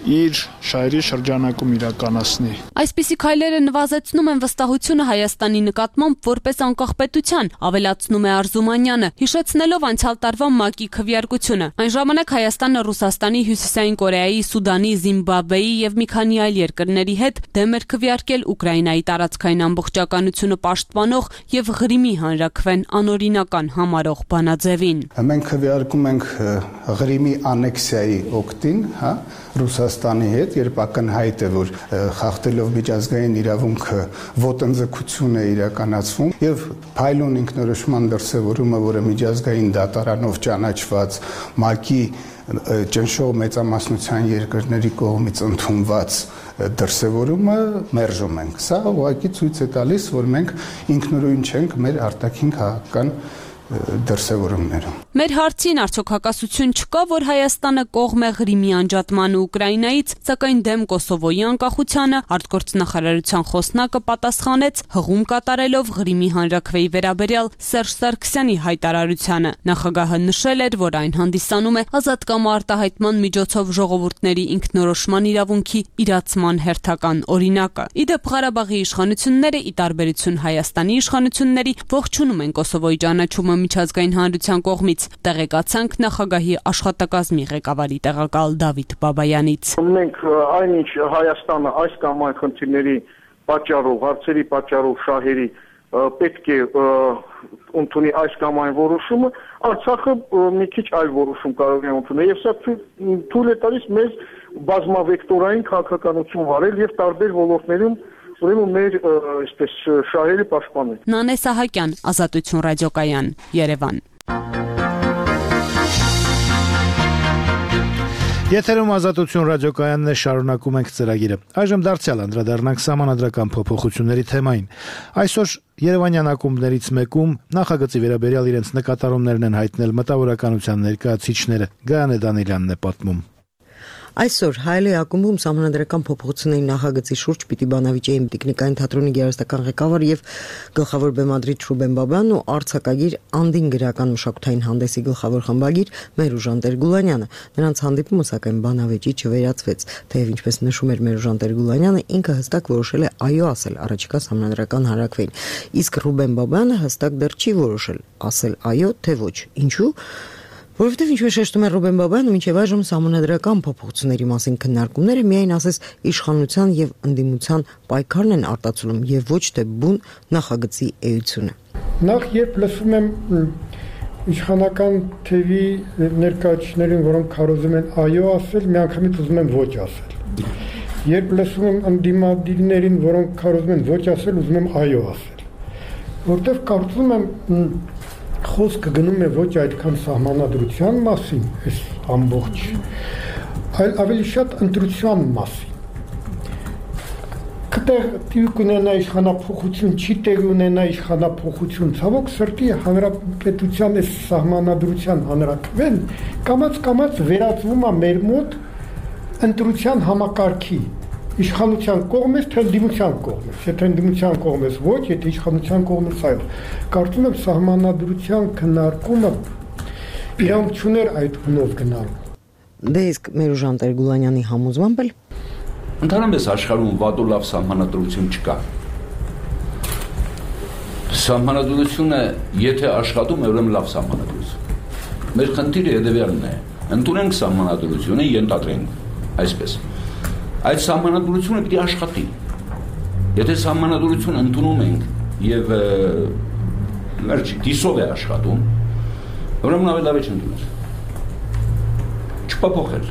իր շահերի շրջանակում իրականացնի։ Այսպիսի քայլերը նվազեցնում են վստահությունը Հայաստանի նկատմամբ որպես անկախ պետության, ավելացնում է Արզումանյանը, հիշեցնելով անցյալ տարվա ՄԱԿ-ի քվեարկությունը։ Այն ժամանակ Հայաստանը Ռուսաստանի, Հյուսիսային Կորեայի, Սուդանի, Զիմբաբվեի եւ մի քանի այլ երկրների հետ դեմ էր քվեարկել Ուկրաինայի տարածքային ամբողջականությունը պաշտպանող եւ Ղրիմի հանրաքվեն անօրինական համարող բանաձևին։ Մենք քվեարկում ենք Ղրիմի անեքսիայի օգտին, հա, Ռուսաստանի հետ, երբ ակնհայտ է, որ խախտելով միջազգային իրավունքը ոտնձգություն է իրականացվում եւ փայլուն ինքնորոշման դրսեւորումը, որը միջազգային դատարանով ճանաչված ՄԱԿ-ի ճնշող մեծամասնության երկրների կողմից ընդունված դրսևորումը մերժում ենք։ Սա ուղղակի ցույց է տալիս, որ մենք ինքնուրույն չենք մեր արտաքին քաղաքական դրսևորումներում։ Մեր հարցին արդյոք հակասություն չկա, որ Հայաստանը կողմ է Ղրիմի անջատմանը Ուկրաինայից, սակայն դեմ Կոսովոյի անկախությանը արտգործնախարարության խոսնակը պատասխանեց հղում կատարելով Ղրիմի հանրաքվեի վերաբերյալ Սերժ Սարգսյանի հայտարարությանը։ Նախագահը նշել էր, որ այն հանդիսանում է ազատ կամ արտահայտման միջոցով ժողովուրդների ինքնորոշման իրավունքի իրացման հերթական օրինակը։ Իդեպ Ղարաբաղի իշխանությունները, ի տարբերություն Հայաստանի իշխանությունների, ողջունում են Կոսովոյի ճանաչումը միջազգային հանրության կողմից, տեղեկացանք նախագահի աշխատակազմի ղեկավարի տեղակալ Դավիթ Բաբայանից։ Մենք այնինչ Հայաստանը այս կամ այն խնդիրների պատճառով, հարցերի պատճառով, շահերի պետք է ընդունի այս կամ այն որոշումը, Արցախը մի քիչ այլ որոշում կարող է ընդունել եւ սա թույլ է տալիս մեզ բազմավեկտորային քաղաքականություն վարել եւ տարբեր ոլորտներում ուրեմն մեր այսպես շահերի պաշտպանել։ Նանե Սահակյան, Ազատություն ռադիոկայան, Երևան։ Եթերում Ազատություն ռադիոկայանն է, շարունակում ենք ծրագիրը։ Այժմ դարձյալ անդրադառնանք սահմանադրական փոփոխությունների թեմային։ Այսօր Երևանյան ակումբներից մեկում նախագծի վերաբերյալ իրենց նկատառումներն են հայտնել մտավորականության ներկայացիչները։ Գայանե Դանիելյանն է պատմում։ Այսօր Հայելի ակումբում սահմանադրական փոփոխությունների նախագծի շուրջ պիտի բանավիճեին Տիկնիկային թատրոնի գերաստական ղեկավար եւ գլխավոր բեմադրիչ Ռուբեն Բաբյանն ու արձակագիր Անդին գրական մշակութային հանդեսի գլխավոր խմբագիր Մերուժան Տեր-Գուլանյանը։ Նրանց հանդիպումը սակայն բանավեճի չվերացվեց, թեև ինչպես նշում էր Մերուժան Տեր-Գուլանյանը, ինքը հստակ որոշել է այո ասել առաջիկա սահմանադրական հարակվին, իսկ Ռուբեն Բաբյանը հստակ դեռ չի որոշել ասել այո թե ոչ։ Ինչու՞։ Որովհետև ինչպես շեշտում է Ռուբեն Բաբյանը, մինչև այժմ սահմանադրական փոփոխությունների մասին քննարկումները միայն ասես իշխանության եւ ընդդիմության պայքարն են արտացոլում եւ ոչ թե բուն նախագծի էությունը։ Նախ երբ լսում եմ իշխանական թևի ներկայացուցիչներին, որոնք քարոզում են այո ասել, միանգամից ուզում եմ ոչ ասել։ Երբ լսում եմ ընդդիմադիրներին, որոնք քարոզում են ոչ ասել, ուզում եմ այո ասել։ Որտեվ կարծում եմ խոսքը գնում է ոչ այդքան սահմանադրության մասին, այս ամբողջ, այլ ավելի շատ ընտրության մասին։ Կտեղ տիպ ունենա իշխանափոխություն, չի տեղ ունենա իշխանափոխություն, ցավոք սրտի հանրապետության այս սահմանադրության հանրակրվեն կամաց-կամաց վերածվում է մեր մոտ ընտրության համակարգի, իշխանության կողմից, թե ընդդիմության կողմից, եթե ընդդիմության կողմից ոչ, եթե իշխանության կողմից այո։ Կարծում եմ սահմանադրության քննարկումը իրավունք չուներ այդ հունով գնալու։ Դե իսկ Մերուժան Տեր-Գուլանյանի համոզմամբ էլ ընդհանրապես աշխարհում վատ ու լավ սահմանադրություն չկա։ Սահմանադրությունը եթե աշխատում է, ուրեմն լավ սահմանադրություն։ Մեր խնդիրը հետևյալն է. ընդունենք սահմանադրությունը, ենթադրենք այսպես։ Այդ սահմանադրությունը պիտի աշխատի։ Եթե սահմանադրություն ընդունում ենք եւ մերժի դիսով է աշխատում, ուրեմն ավելի լավ է չընդունել։ Չփոփոխել։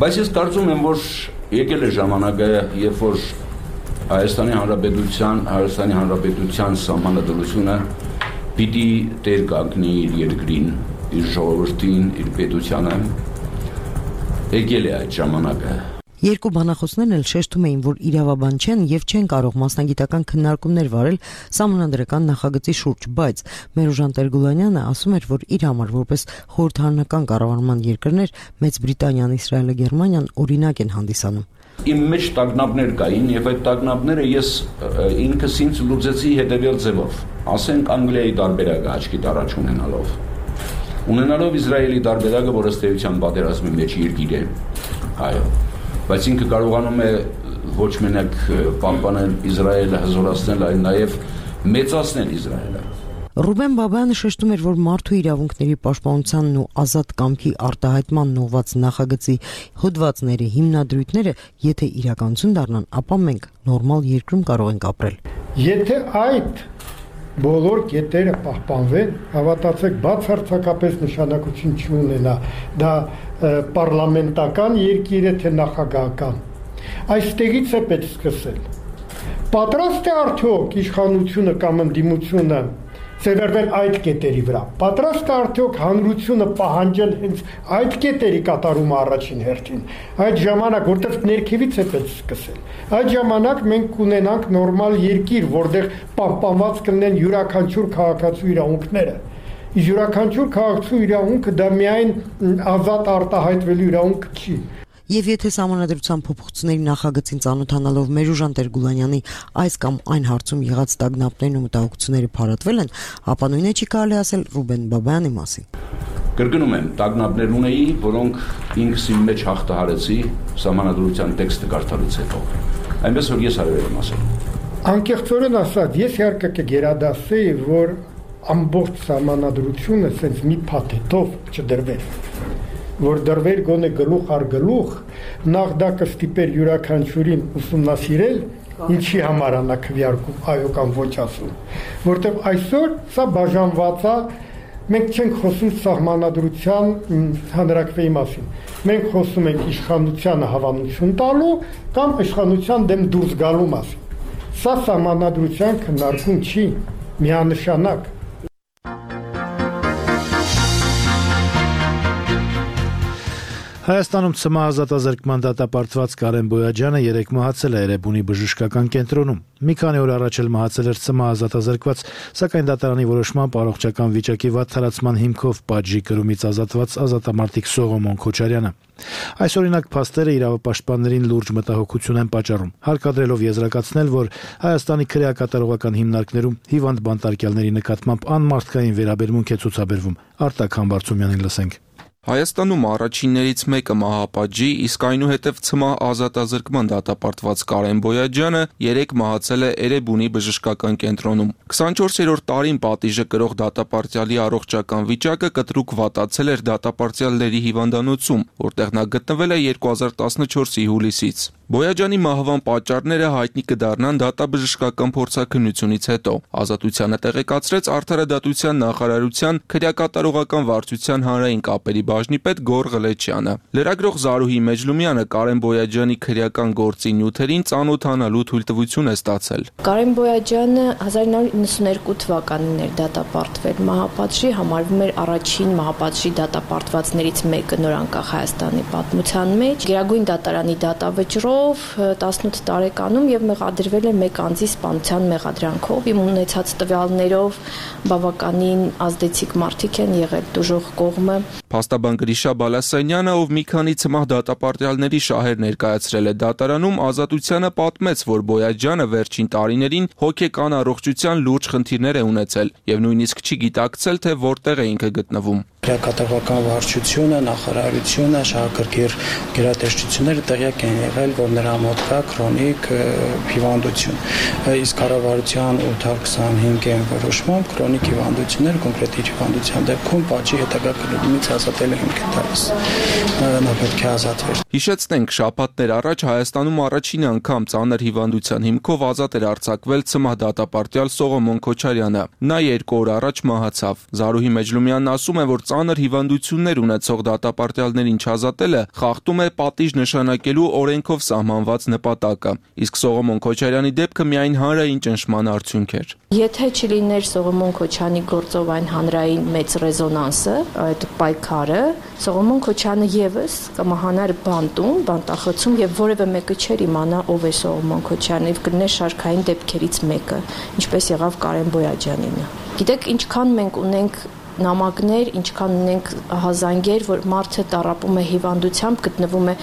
Բայց ես կարծում եմ, որ եկել է ժամանակը, երբ որ Հայաստանի Հանրապետության, Հայաստանի Հանրապետության սահմանադրությունը պիտի տեր կանգնի իր երկրին, իր ժողովրդին, իր պետությանը։ Եկել է այդ ժամանակը։ Երկու բանախոսներն էլ շեշտում էին, որ իրավաբան չեն եւ չեն կարող մասնագիտական քննարկումներ վարել սահմանադրական նախագծի շուրջ, բայց Մերուժան Տեր-Գուլանյանը ասում էր, որ իր համար որպես խորհրդարանական կառավարման երկրներ Մեծ Բրիտանիան, Իսրայելը, Գերմանիան օրինակ են հանդիսանում։ Իմ մեջ տագնապներ կային եւ այդ տագնապները ես ինքս ինձ լուծեցի հետեւյալ ձևով։ Ասենք Անգլիայի տարբերակը աչքի առաջ ունենալով։ Ունենալով Իսրայելի տարբերակը, որը ստեյության պատերազմի մեջ երկիր է, այո, բայց ինքը կարողանում է ոչ մենակ պահպանել Իսրայելը, հզորացնել, այլ նաև մեծացնել Իսրայելը։ Ռուբեն Բաբյանը շեշտում էր, որ մարդու իրավունքների պաշտպանությանն ու ազատ կամքի արտահայտման ուղղված նախագծի հոդվածների հիմնադրույթները, եթե իրականություն դառնան, ապա մենք նորմալ երկրում կարող ենք ապրել։ Եթե այդ բոլոր կետերը պահպանվեն, հավատացեք, բացարձակապես նշանակություն չունենա, դա պարլամենտական երկիր է, թե նախագահական։ Այստեղից է պետք սկսել։ Պատրաստ է արդյոք իշխանությունը կամ ընդդիմությունը սերվել այդ կետերի վրա։ Պատրաստ է արդյոք հանրությունը պահանջել հենց այդ կետերի կատարումը առաջին հերթին։ Այդ ժամանակ, որտեղ ներքևից է պետք սկսել։ Այդ ժամանակ մենք կունենանք նորմալ երկիր, որտեղ պահպանված կլինեն յուրաքանչյուր քաղաքացու իրավունքները։ Իսկ յուրաքանչյուր քաղաքացու իրավունքը դա միայն ազատ արտահայտվելու իրավունք չի։ Եվ եթե սահմանադրության փոփոխությունների նախագծին ծանոթանալով Մերուժան Տեր-Գուլանյանի այս կամ այն հարցում եղած տագնապներն ու մտահոգությունները փարատվել են, ապա նույնը չի կարելի ասել Ռուբեն Բաբյանի մասին։ Կրկնում եմ, տագնապներ ունեի, որոնք ինքս իմ մեջ հաղթահարեցի սահմանադրության տեքստը կարդալուց հետո։ Այնպես որ ես այո եմ ասել։ Անկեղծորեն ասած, ես իհարկե կգերադասեի, որ ամբողջ սահմանադրությունը սենց մի փաթեթով չդրվեր, որ դրվեր գոնե գլուխ առ գլուխ, նախ դա կստիպեր յուրաքանչյուրին ուսումնասիրել, ինչի համար անա քվեարկում այո կամ ոչ ասում, որտեղ այսօր սա բաժանված է Մենք չենք խոսում սահմանադրության հանրակրվեի մասին։ Մենք խոսում ենք իշխանությանը հավանություն տալու կամ իշխանության դեմ դուրս գալու մասին։ Սա սահմանադրության քննարկում չի, միանշանակ։ Հայաստանում ցմահ ազատազրկման դատապարտված Կարեն Բոյաջյանը երեկ մահացել է Էրեբունի բժշկական կենտրոնում։ Մի քանի օր առաջ էլ մահացել էր ցմահ ազատազրկված, սակայն դատարանի որոշմամբ առողջական վիճակի վատ թարացման հիմքով պատժի կրումից ազատված ազատամարտիկ Սողոմոն Քոչարյանը։ Այս օրինակ փաստերը իրավապաշտպաններին լուրջ մտահոգություն են պատճառում, հարկադրելով եզրակացնել, որ Հայաստանի քրեակատարողական հիմնարկներում հիվանդ բանտարկյալների նկատմամբ անմարդկային վերաբերմունք է ցուցաբերվում։ Արտակ Համբարձումյանին լսենք։ Հայաստանում առաջիններից մեկը մահապատժի, իսկ այնուհետև ցմահ ազատազրկման դատապարտված Կարեն Բոյաջյանը երեկ մահացել է Էրեբունի բժշկական կենտրոնում։ քսանչորսերորդ տարին պատիժը կրող դատապարտյալի առողջական վիճակը կտրուկ վատացել էր դատապարտյալների հիվանդանոցում, որտեղ նա գտնվել է երկու հազար տասնչորսի հուլիսից։ Բոյաջյանի մահվան պատճառները հայտնի կդառնան դատաբժշկական փորձաքննությունից հետո։ Ազատությանը տեղեկացրեց Արդարադատության նախարարության քրեակատարողական վարչության հանրային կապերի բաժնի պետ Գոռ Ղլեչյանը։ Լրագրող Զարուհի Մեջլումյանը Կարեն Բոյաջյանի քրեական գործի նյութերին ծանոթանալու թույլտվություն է ստացել։ Կարեն Բոյաջյանը հազար նորը իննսուներկու թվականին էր դատապարտվել մահապատժի, համարվում էր առաջին մահապատժի դատապարտվածներից մեկը նորանկախ Հայաստանի պատմության մեջ։ Գերագույն դատարանի դատավճռով տասնութ տարեկանում եւ մեղադրվել է մեկ անձի սպանության մեղադրանքով։ Իմ ունեցած տվյալներով բավականին ազդեցիկ մարդիկ են եղել դժոխ կողմը։ Փաստաբան Գրիշա Բալասանյանը, ով մի քանի ցմահ դատապարտյալների շահեր ներկայացրել է դատարանում, Ազատությանը պատմեց, որ Բոյաջյանը վերջին տարիներին հոգեկան առողջության լուրջ խնդիրներ է ունեցել եւ նույնիսկ չի գիտակցել, թե որտեղ է ինքը գտնվում։ Քրեակատարողական վարչությունը, նախարարությունը, շահագրգիռ գերատեսչությունները տեղյակ են եղել, որ նրա մոտ կա քրոնիկ հիվանդություն։ Իսկ կառավարության ութ քսանհինգ որոշմամբ քրոնիկ հիվանդությունները կոնկրետ իր հիվանդության դեպքում պատժի հետագա կրումից ազատել է հիմք տալիս։ Նա պետք է ազատվեր։ Հիշեցնենք, շաբաթներ առաջ Հայաստանում առաջին անգամ ծանր հիվանդության հիմքով ազատ էր արձակվել ցմահ դատապարտյալ Սողոմոն Քոչարյանը։ Նա երկու օր առաջ մահացավ։ Զարուհի Մեջլումյանն ասում է, որ ծանր հիվանդություններ ունեցող դատապարտյալներին չազատելը խախտում է պատիժ նշանակելու օրենքով սահմանված նպատակը, իսկ Սողոմոն Քոչարյանի դեպքը միայն հանրային ճնշման արդյունք էր։ Եթե չլիներ Սողոմոն Քոչյանի գործով այն հանրային մեծ ռեզոնանսը, այդ պայքարը, Սողոմոն Քոչյանը եւս կմահանար բանտում, բանտախցում եւ որևէ մեկը չէր իմանա ով է Սողոմոն Քոչյանը եւ կլիներ շարքային դեպքերից մեկը, ինչպես եղավ Կարեն Բոյաջյանինը։ Գիտեք, ինչքան մենք ունենք նամակներ, ինչքան ունենք հազանգեր, որ մարդը տառապում է հիվանդությամբ, գտնվում է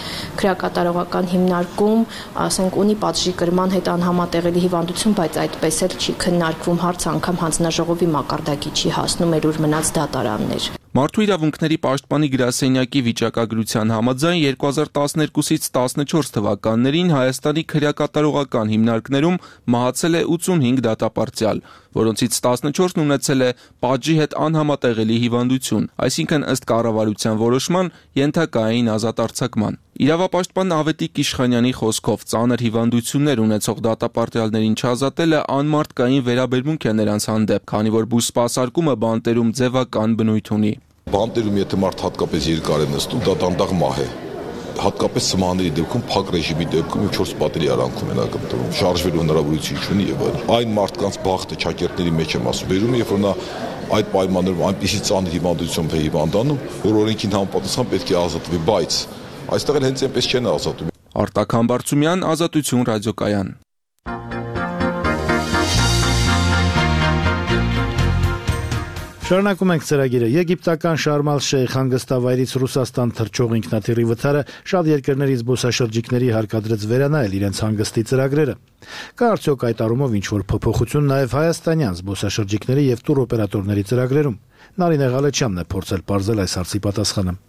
քրեակատարողական հիմնարկում, ասենք ունի պատժի կրման հետ անհամատեղելի հիվանդություն, բայց այդպես էլ չի քննարկվում հարց, անգամ հանձնաժողովի մակարդակի չի հասնում էր ուր մնաց դատարաններ։ Մարդու իրավունքների պաշտպանի գրասենյակի վիճակագրության համաձայն երկու հազար տասներկուսից տասնչորս թվականներին Հայաստանի քրեակատարողական հիմնարկներում մահացել է ութսունհինգ դատապարտյալ, որոնցից տասնչորսն ունեցել է պատժի հետ անհամատեղելի հիվանդություն, այսինքն ըստ կառավարության որոշման ենթակա էին ազատ արձակման։ Իրավապաշտպան Ավետիք Իշխանյանի խոսքով ծանր հիվանդություններ ունեցող դատապարտյալներին չազատելը անմարդկային վերաբերմունք է նրանց հանդեպ, քանի որ բուսպասարկումը բանտերում ձևական բնույթ ունի։ Բանտերում եթե մարդ հատկապես երկար է նստում, դա դանդաղ մահ է։ Հատկապես սմաների դեպքում, փակ ռեժիմի դեպքում չորս պատերի արանքում են ակնկալում, շարժվելու հնարավորություն չունի եւ այլն։ Այն մարդկանց բախտը ճակերտների մեջ եմ ասում, վերում երբ որ նա այդ պայմաններում այնպիսի ծանր հիվանդությամբ է հիվանդանում, որ օրենքին համապատասխան պետք է ազատվի, բայց այստեղ էլ հենց այնպես չեն ազատում։ Արտակ Համբարձումյան, Ազատություն ռադիոկայան։ Շարունակում ենք ծրագիրը։ Եգիպտական Շարմ ալ-Շեյխ հանգստավայրից Ռուսաստան թռչող ինքնաթիռի վթարը շատ երկրների զբոսաշրջիկների հարկադրեց վերանայել իրենց հանգստի ծրագրերը։ Կա արդյոք այդ առումով ինչ-որ փոփոխություն նաև հայաստանյան զբոսաշրջիկների եւ տուրօպերատորների ծրագրերում։ Նարինե Ղալեչյանն է փորձել բարձել այս հարցի պատասխանը։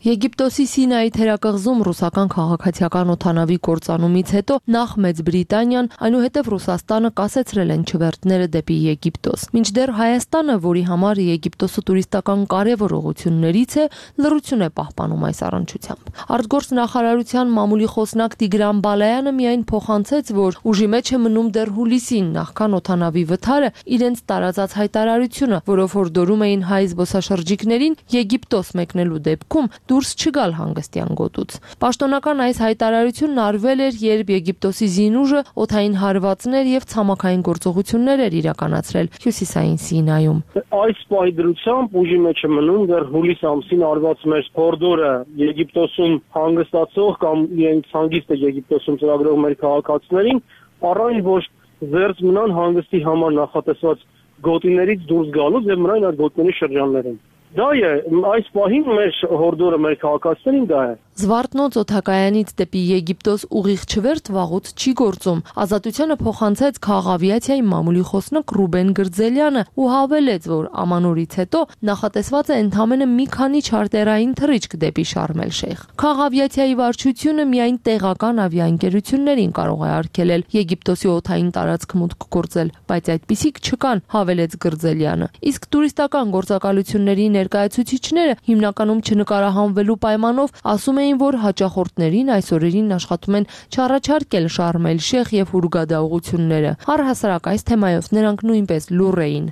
Եգիպտոսի Սինայի թերակղզում ռուսական քաղաքացիական օդանավի կործանումից հետո նախ Մեծ Բրիտանիան, այնուհետև Ռուսաստանը կասեցրել են չվերթները դեպի Եգիպտոս։ Մինչդեռ Հայաստանը, որի համար Եգիպտոսը տուրիստական կարևոր ուղղություններից է, լռություն է պահպանում այս առնչությամբ։ Արտգործ նախարարության մամուլի խոսնակ Տիգրան Բալայանը միայն փոխանցեց, որ ուժի մեջ է մնում դեռ հուլիսին նախքան օդանավի վթարը իրենց տարածած հայտարարությունը, որով հորդորում էին հայ զբոսաշրջիկներին Եգիպտոս մեկնելու դեպքում դուրս չգալ հանգստյան գոտուց։ Պաշտոնական այս հայտարարությունն արվել էր, երբ Եգիպտոսի զինուժը օդային հարվածներ եւ ցամաքային գործողություններ էր իրականացրել Հյուսիսային Սինայում։ Այս պահի դրությամբ ուժի մեջ է մնում դեռ հուլիս ամսին արված մեր հորդորը Եգիպտոսում հանգստացող կամ իրենց հանգիստը Եգիպտոսում ծրագրող մեր քաղաքացիներին առայն ոչ զերծ մնան հանգստի համար նախատեսված գոտիներից դուրս գալուց եւ մնան այդ գոտիների շրջաններում։ Դա է, այս պահին մեր հորդորը մեր քաղաքացիներին դա է։ Զվարթնոց օդակայանից դեպի Եգիպտոս ուղիղ չվերթ վաղուց չի գործում։ Ազատությանը փոխանցեց քաղաքավիացիայի մամուլի խոսնակ Ռուբեն Գրձելյանը ու հավելեց, որ ամանորից հետո նախատեսված է ընդամենը մի քանի չարտերային թռիչք դեպի Շարմ էլ-Շեյխ։ Քաղաքավիացիայի վարչությունը միայն տեղական ավիաընկերություններին կարող է արգելել Եգիպտոսի օդային տարածք մուտք գործել, բայց այդպիսիք չկան, հավելեց Գրձելյանը։ Իսկ տուրիստական գործակալությունների ներկայացուցիչները հիմնականում չնկարահանվելու պայմանով ասում էին, որ հաճախորդներին այս օրերին աշխատում են չառաջարկել Շարմ էլ-Շեյխ եւ Հուրգադա ուղությունները։ Առհասարակ այս թեմայով նրանք նույնպես լուռ էին։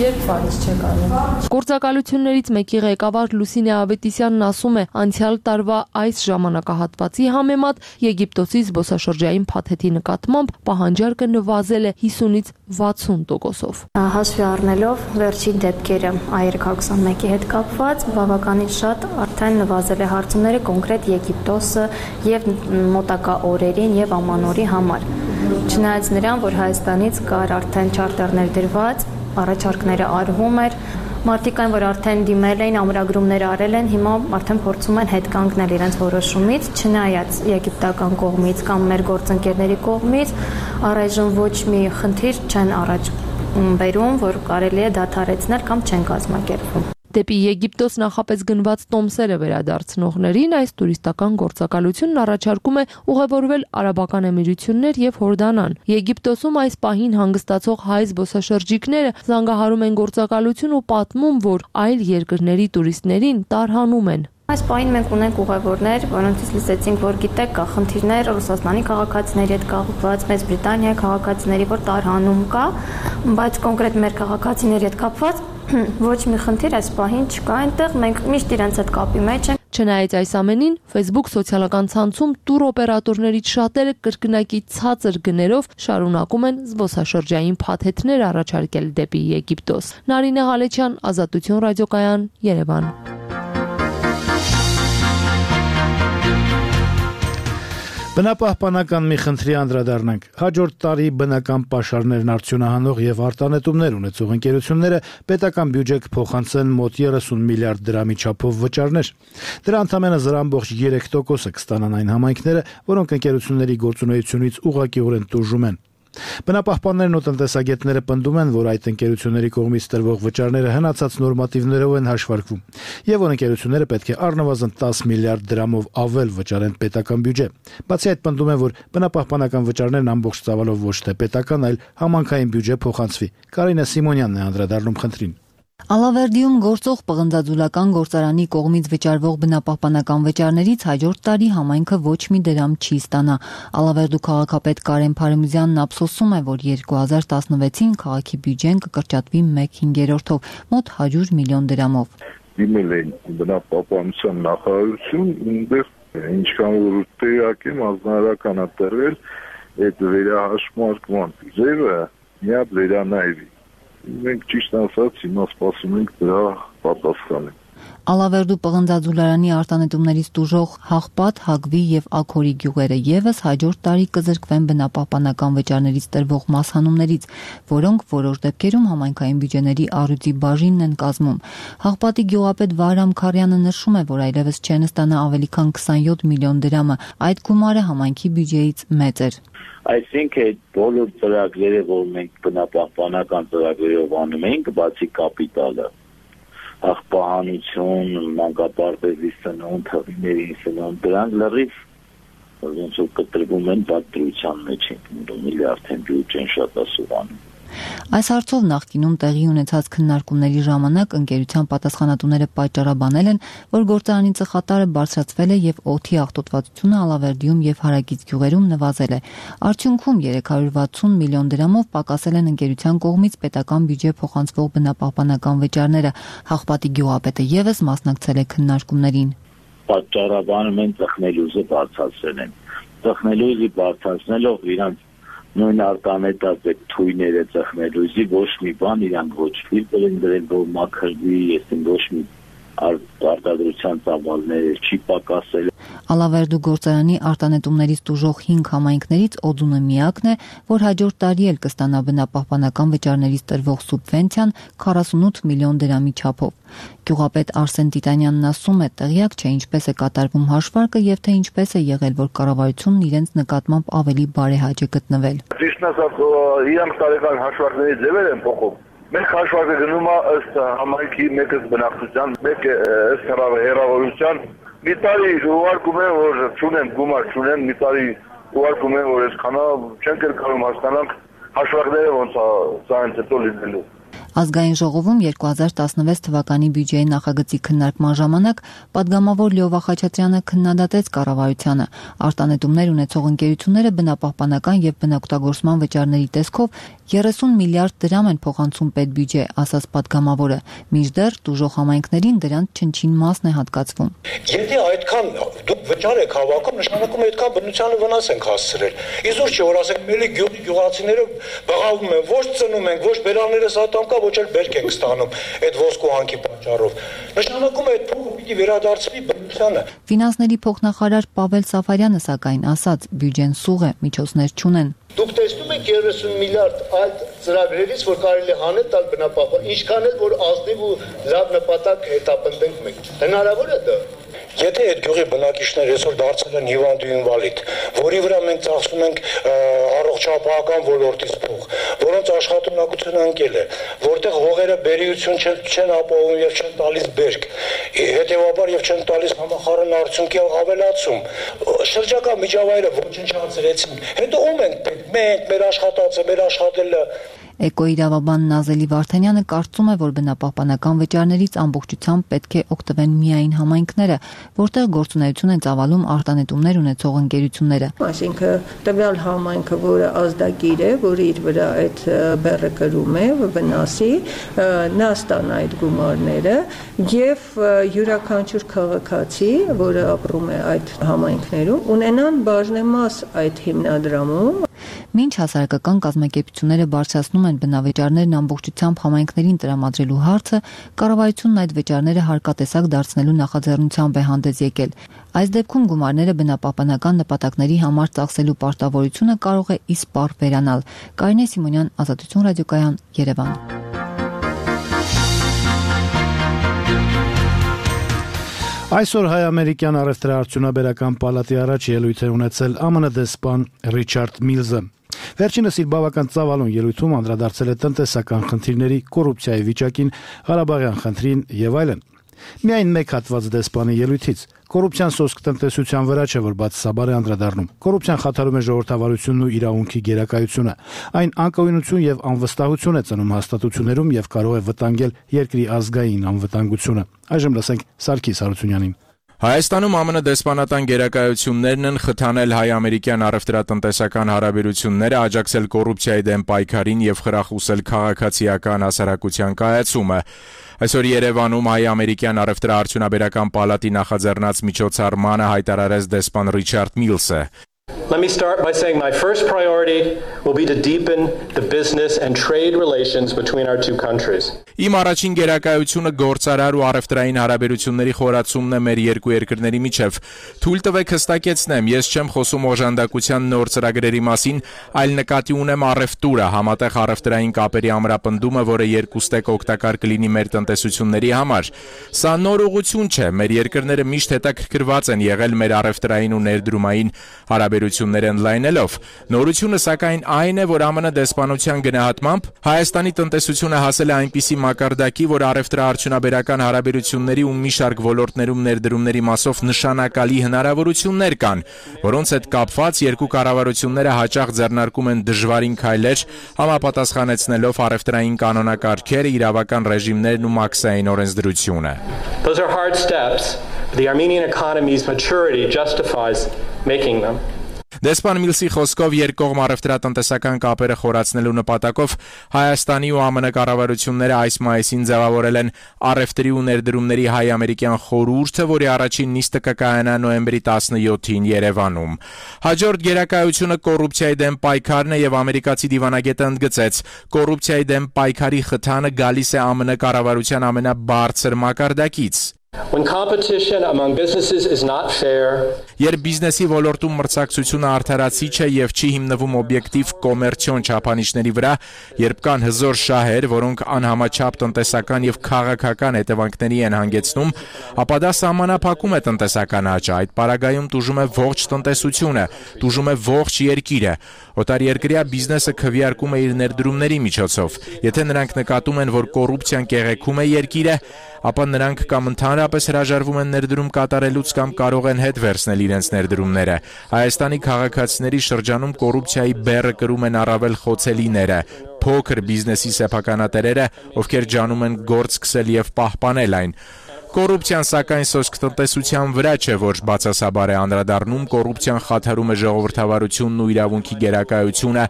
Երբ բաց չեք անում։ Գործակալություններից մեկի ղեկավար Լուսինե Ավետիսյանն ասում է, անցյալ տարվա այս ժամանակահատվածի համեմատ Եգիպտոսի զբոսաշրջային փաթեթի նկատմամբ պահանջարկը նվազել է հիսունից վաթսուն տոկոսով։ Հաշվի առնելով վերջին դեպքերը Α երեք հարյուր քսանմեկի հետ կապված, բավականին շատ արդեն նվազել է հարցումները կոնկրետ Եգիպտոսը եւ մոտակա օրերին եւ ամանորի համար։ Չնայած նրան, որ Հայաստանից կար արդեն չարտերներ դրված, առաջարկները արվում էր, մարդիկ այն, որ արդեն դիմել էին, ամրագրումներ արել են, հիմա արդեն փորձում են հետ կանգնել իրենց որոշումից, չնայած եգիպտական կողմից կամ մեր գործընկերների կողմից առայժմ ոչ մի խնդիր չեն առաջ բերում, որ կարելի է դադարեցնել կամ չեն կազմակերպվում։ Դեպի Եգիպտոս նախապես գնված տոմսերը վերադարձնողներին այս տուրիստական գործակալությունն առաջարկում է ուղևորվել Արաբական Էմիրություններ եւ Հորդանան։ Եգիպտոսում այս պահին հանգստացող հայ զբոսաշրջիկները զանգահարում են գործակալություն ու պատմում, որ այլ երկրների տուրիստներին տարհանում են։ Այս պահին մենք ունենք ուղևորներ, որոնցից լսեցինք, որ գիտեք, կա խնդիրներ Ռուսաստանի քաղաքացիների հետ կապված, Մեծ Բրիտանիայի քաղաքացիների, որ տարհանում կա, բայց կոնկրետ մեր քաղաքացիների հետ կապված ոչ մի խնդիր այս պահին չկա այնտեղ, մենք միշտ իրենց հետ կապի մեջ ենք։ Չնայած այս ամենին, Facebook սոցիալական ցանցում տուր օպերատորներից շատերը կրկնակի ցածր գներով շարունակում են զբոսաշրջային փաթեթներ առաջարկել դեպի Եգիպտոս։ Նարինե Ղալեչյան, Ազատություն ռադիոկայան, Երևան։ Բնապահպանական մի խնդրի անդրադառնանք։ Հաջորդ տարի բնական պաշարներն արդյունահանող եւ արտանետումներ ունեցող ընկերությունները պետական բյուջե կփոխանցեն մոտ երեսուն միլիարդ դրամի չափով վճարներ։ Դրա ընդամենը զրահ ամբողջ երեք տոկոսը կստանան այն համայնքները, որոնք ընկերությունների գործունեությունից ուղղակիորեն տուժում են։ Բնապահպաններն ու տնտեսագետները պնդում են, որ այդ ընկերությունների կողմից տրվող վճարները հնացած նորմատիվներով են հաշվարկվում, եւ որ ընկերությունները պետք է առնվազն տասը միլիարդ դրամով ավել վճարեն պետական բյուջե։ Բացի այդ, պնդում են, որ բնապահպանական վճարներն ամբողջ ծավալով ոչ թե պետական, այլ համանքային բյուջե փոխանցվի։ Կարինե Սիմոնյանն է անդրադառնում խնդրին։ Ալավերդիում գործող պղնձաձուլական գործարանի կողմից վճարվող բնապահպանական վճարներից հաջորդ տարի համայնքը ոչ մի դրամ չի ստանա։ Ալավերդու քաղաքապետ Կարեն Փարիմզյանն ափսոսում է, որ երկու հազար տասնվեցին քաղաքի բյուջեն կկրճատվի մեկ հինգերորդով, մոտ հարյուր միլիոն դրամով։ Դիմել են բնապահպանության նախարարություն, այնտեղ ինչքան որ տեղակ եմ ազնարական տրվել այդ վերահաշմարկման ձևը միա վերանայվի։ Մենք ճիշտ ասած հիմա սպասում ենք դրա պատասխանը։ Ալավերդու պղնձաձուլարանի արտանետումներից տուժող Հաղպատ, Հագվի եւ Աքորի գյուղերը եւս հաջորդ տարի կզրկվեն բնապահպանական վճարներից տրվող մասհանումներից, որոնք որոշ դեպքերում համայնքային բյուջեների առյուծի բաժինն են կազմում։ Հաղպատի գյուղապետ Վահրամ Քարյանը նշում է, որ այլևս չեն ստանա ավելի քան քսանյոթ միլիոն դրամը, այդ գումարը համայնքի բյուջեից մեծ էր։ Այսինքն այդ բոլոր ծրագրերը, որ մենք բնապահպանական ծրագրերով անում ենք, բացի կապիտալը, աղբահանություն, մանկապարտեզի սնունդ, հղիների սնունդ, դրանք լրիվ ոնց որ կտրվում են պատրության մեջ են, միլիարդ են բյուջեն շատ ասուրանում։ Այս հարցով նախկինում տեղի ունեցած քննարկումների ժամանակ ընկերության պատասխանատուները պատճառաբանել են, որ գործարանի ծխատարը բարձրացվել է եւ օդի աղտոտվածությունը Ալավերդիում եւ հարակից գյուղերում նվազել է։ Արդյունքում երեք հարյուր վաթսուն միլիոն դրամով պակասել են ընկերության կողմից պետական բյուջե փոխանցվող բնապահպանական վճարները։ Հաղպատի գյուղապետը եւս մասնակցել է քննարկումներին։ Պատճառաբանում են ծխնելուզը բարձրացրել են։ Ծխնելուզի բարձրացնելով իրանք նույն արտանետած այդ թույները ծխնելուզի ոչ մի բան իրանք ոչ ֆիլտր են դրել, որ մաքրվի, այսինքն ոչ մի արտադրության ծավալները չի պակասել։ Ալավերդու գործարանի արտանետումներից տուժող հինգ համայնքներից Օձունը միակն է, որ հաջորդ տարի էլ կստանա բնապահպանական վճարներից տրվող սուբվենցիան քառասունութ միլիոն դրամի չափով։ Գյուղապետ Արսեն Տիտանյանն ասում է, տեղյակ չէ ինչպես է կատարվում հաշվարկը եւ թե ինչպես է եղել, որ կառավարությունն իրենց նկատմամբ ավելի բարեհաճ է գտնվել։ Ճիշտն ասած, իրանք տարեկան հաշվարկների ձևեր են փոխում։ Մենք հաշվարկը գնում է ըստ համայնքի մեկը բնակչության, մեկը ըստ հեռավորության։ Մի տարի ուղարկում են, որ չունեն գումար, չունեն, մի տարի ուղարկում են, որ այսքանա չենք կարող հասկանանք հաշվարկները ոնց է սա հենց հետո լինելու։ Ազգային ժողովում երկու հազար տասնվեց թվականի բյուջեի նախագծի քննարկման ժամանակ պատգամավոր Լյովա Խաչատրյանը քննադատեց կառավարությանը։ Արտանետումներ ունեցող ընկերությունները բնապահպանական եւ բնօգտագործման վճարների տեսքով երեսուն միլիարդ դրամ են փոխանցում պետբյուջե, ասաց պատգամավորը, մինչդեռ տուժող համայնքներին դրանց չնչին մասն է հատկացվում։ Եթե այդքան դուք վճար եք հավաքում, նշանակում է այդքան բնությանը վնաս ենք հասցրել։ Իզուր չի, որ ասենք մելի գյուղի գյուղացիները բղավում են, ոչ ծնում են, ոչ բերանները սատամ կա, ոչ էլ բերք ենք ստանում այդ ոսկու հանքի պատճառով։ Նշանակում է այդ փողը պիտի վերադարձվի բնությանը։ Ֆինանսների փոխնախարար Պավել Սաֆարյանը սակայն ասաց, բյուջեն սուղ է, միջոցներ չունեն։ Դուք տեսնում եք երեսուն միլիարդ այդ ծրագրերից, որ կարելի հանել տալ բնապահպան, ինչքան էլ որ ազնիվ ու լավ նպատակ հետապնդենք մենք։ Հնարավոր է դա։ Եթե այդ գյուղի բնակիչները այսօր դարձել են հիվանդ ու ինվալիդ, որի վրա մենք ծախսում ենք առողջապահական ոլորտից փող, որոնց աշխատունակությունը ընկել է, որտեղ հողերը բերիություն չեն, չեն ապահովում եւ չեն տալիս բերք, հետեւաբար եւ չեն տալիս համախառն արդյունքի ավելացում, շրջակա միջավայրը ոչնչացրեցին, հետո ում ենք պետք, մենք, մեր աշխատածը, մեր աշխատելը։ Էկոիրավաբան Նազելի Վարդանյանը կարծում է, որ բնապահպանական վճարներից ամբողջությամբ պետք է օգտվեն միայն համայնքները, որտեղ գործունեություն են ծավալում արտանետումներ ունեցող ընկերությունները։ Այսինքն տվյալ համայնքը, որը ազդագիր է, որ իր վրա այդ բեռը կրում է, վնասի, նա ստանա այդ գումարները եւ յուրաքանչյուր քաղաքացի, որը ապրում է այդ համայնքներում, ունենան բաժնեմաս այդ հիմնադրամում։ Մինչ հասարակական կազմակերպությունները բարձրացնում են բնավճարներն ամբողջությամբ համայնքներին տրամադրելու հարցը, կառավարությունն այդ վճարները հարկատեսակ դարձնելու նախաձեռնությամբ է հանդես եկել։ Այս դեպքում գումարները բնապահպանական նպատակների համար ծախսելու պարտավորությունը կարող է իսպառ վերանալ։ Կարինե Սիմոնյան, Ազատություն ռադիոկայան, Երևան։ Այսօր հայ-ամերիկյան առևտրաարդյունաբերական պալատի առաջ ելույթ է ունեցել ԱՄՆ դեսպան Ռիչարդ Միլզը։ Վերջինս իր բավական ծավալուն ելույթում անդրադարձել է տնտեսական խնդիրների, կոռուպցիայի վիճակին, Ղարաբաղյան խնդրին եւ այլն։ Միայն մեկ հատված դեսպանի ելույթից կոռուպցիան սոսկ տնտեսության վրա չէ, որ բացասաբար է անդրադառնում։ Կոռուպցիան խաթարում է ժողովրդավարությունն ու իրավունքի գերակայությունը։ Այն անկայունություն եւ անվստահություն է ծնում հաստատություններում եւ կարող է վտանգել երկրի ազգային անվտանգությունը։ Այժմ լսենք Սարգիս Հարությունյանին։ Հայաստանում ԱՄՆ դեսպանատան գերակայություններն են խթանել հայ-ամերիկյան առևտրատնտեսական հարաբերությունները, աջակցել կոռուպցիայի դեմ պայքարին եւ խրախուսել քաղաքացիական հասարակության կայացումը։ Այսօր Երևանում հայ-ամերիկյան առևտրաարդյունաբերական պալատի նախաձեռնած միջոցառմանը հայտարարեց դեսպան Ռիչարդ Միլսը։ Let me start by saying my first priority will be to deepen the business and trade relations between our two countries. Իմ առաջին գերակայությունը գործարար ու առևտրային հարաբերությունների խորացումն է մեր երկու երկրների միջև։ Թույլ տվեք հստակեցնեմ, ես չեմ խոսում օժանդակության նոր ծրագրերի մասին, այլ նկատի ունեմ առևտուրը, համատեղ առևտրային կապերի ամրապնդումը, որը երկուստեք օգտակար կլինի մեր տնտեսությունների համար։ Սա նոր ուղղություն չէ, մեր երկրները միշտ հետաքրքրված են եղել մեր առևտրային ու ներդրումային հարաբերությունները ընդլայնելով։ Նորությունը սակայն այն է, որ ԱՄՆ դեսպանության գնահատմամբ Հայաստանի տնտեսությունը հասել է այնպիսի մակարդակի, որ առևտրաարդյունաբերական հարաբերությունների ու մի շարք ոլորտներում ներդրումների մասով նշանակալի հնարավորություններ կան, որոնց հետ կապված երկու կառավարությունները հաճախ ձեռնարկում են դժվարին քայլեր, համապատասխանեցնելով առևտրային կանոնակարգերը, իրավական ռեժիմներն ու մաքսային օրենսդրությունը։ Those are hard steps. The Armenian economy's maturity justifies making them. Դեսպան Միլսի խոսքով երկկողմ առևտրատնտեսական կապերը խորացնելու նպատակով Հայաստանի ու ԱՄՆ կառավարությունները այս մայիսին ձևավորել են առևտրի ու ներդրումների հայ-ամերիկյան խորհուրդը, որի առաջին նիստը կկայանա նոյեմբերի տասնյոթին Երևանում։ Հաջորդ գերակայությունը կոռուպցիայի դեմ պայքարն է եւ ամերիկացի դիվանագետը ընդգծեց, կոռուպցիայի դեմ պայքարի խթանը գալիս է ԱՄՆ կառավարության ամենաբարձր մակարդակից։ When competition among businesses is not fair, Երբ բիզնեսի ոլորտում մրցակցությունը արդարացիչ է եւ չի հիմնվում օբյեկտիվ կոմերցիոն չափանիշների վրա, երբ կան հզոր շահեր, որոնք անհամաչափ տնտեսական եւ քաղաքական հետևանքների են հանգեցնում, ապա դա սահմանափակում է տնտեսական աճը, այդ պարագայում տուժում է ողջ տնտեսությունը, տուժում է ողջ երկիրը։ Օտարերկրյա բիզնեսը քվեարկում է իր ներդրումների միջոցով։ Եթե նրանք նկատում են, որ կոռուպցիան կեղեքում է երկիրը, ապա նրանք կամ ընդհանրապես հրաժարվում են ներդրում կատարելուց կամ կարող են հետ վերցնել իրենց ներդրումները։ Հայաստանի քաղաքացիների շրջանում կոռուպցիայի բեռը կրում են առավել խոցելիները, փոքր բիզնեսի սեփականատերերը, ովքեր ջանում են գործ սկսել եւ պահպանել այն։ Կոռուպցիան սակայն սոսկ տնտեսության վրա չէ, որ բացասաբար է անդրադառնում, կոռուպցիան խաթարում է ժողովրդավարությունն ու իրավունքի գերակայությունը,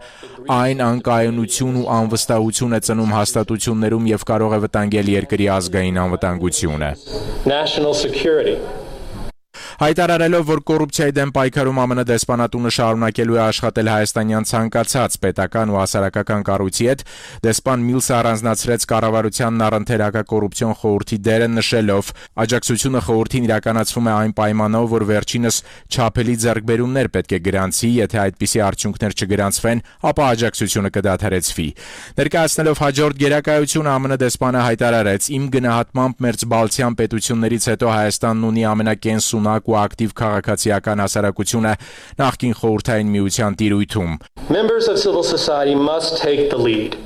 այն անկայունություն ու անվստահություն է ծնում հաստատություններում եւ կարող է վտանգել երկրի ազգային անվտանգությունը։ national security. Հայտարարելով, որ կոռուպցիայի դեմ պայքարում ԱՄՆ դեսպանատունը շարունակելու է աշխատել հայաստանյան ցանկացած պետական ու հասարակական կառույցի հետ, դեսպան Միլսը առանձնացրեց կառավարությանն առընթեր հակակոռուպցիոն խորհրդի դերը նշելով, աջակցությունը խորհրդին իրականացվում է այն պայմանով, որ վերջինս չափելի ձեռքբերումներ պետք է գրանցի, եթե այդպիսի արդյունքներ չգրանցվեն, ապա աջակցությունը կդադարեցվի։ Ներկայացնելով հաջորդ գերակայությունը ԱՄՆ դեսպանը հայտարարեց. «Իմ գնահատմամբ մերձբալթյան պետություններից հետո Հայաստանն ունի ամենակենսունակ ու ակտիվ քաղաքացիական հասարակությունը նախկին խորհրդային միության տիրույթում»։ Members of civil society must take the lead.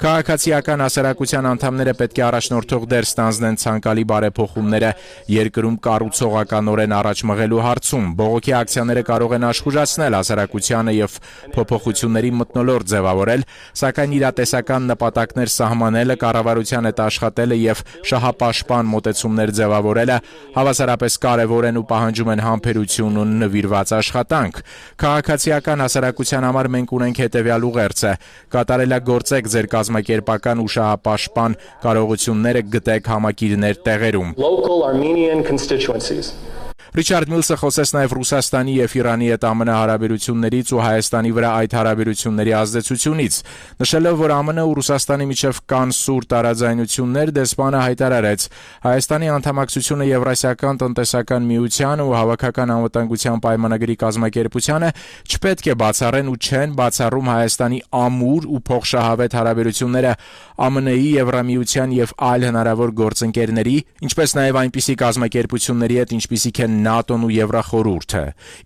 Քաղաքացիական հասարակության անդամները պետք է առաջնորդող դեր ստանձնեն ցանկալի բարեփոխումները երկրում կառուցողականորեն առաջ մղելու հարցում։ Բողոքի ակցիաները կարող են աշխուժացնել հասարակությանը եւ փոփոխությունների մթնոլորտ ձևավորել, սակայն իրատեսական նպատակներ սահմանելը, կառավարության հետ աշխատելը եւ շահապաշտպան մոտեցումներ ձևավորելը հավասարապես կարեւոր են ու պահանջում են համբերություն ու նվիրված աշխատանք։ Քաղաքացիական հասարակության համար մենք ունենք հետեւյալ ուղերձը. կատարելագործեք ձեր կազմակերպական ու շահապաշտպան կարողությունները, գտեք համակիրներ տեղերում։ Local Armenian constituencies. Ռիչարդ Միլսը խոսեց նաև Ռուսաստանի եւ Իրանի հետ ԱՄՆ հարաբերություններից ու Հայաստանի վրա այդ հարաբերությունների ազդեցությունից։ Նշելով, որ ԱՄՆ ու Ռուսաստանի միջև կան սուր տարաձայնություններ, դեսպանը հայտարարեց. Հայաստանի անդամակցությունը Եվրասիական տնտեսական միության ու հավաքական անվտանգության պայմանագրի կազմակերպությանը չպետք է բացառեն ու չեն բացառում Հայաստանի ամուր ու փոխշահավետ հարաբերությունները ԱՄՆ-ի, Եվրամիության եւ այլ հնարավոր գործընկերների, ինչպես նաև այնպիսի կազմակերպությունների հետ, ինչպիսիք են ՆԱՏՕ-ն ու Եվրախորհուրդը։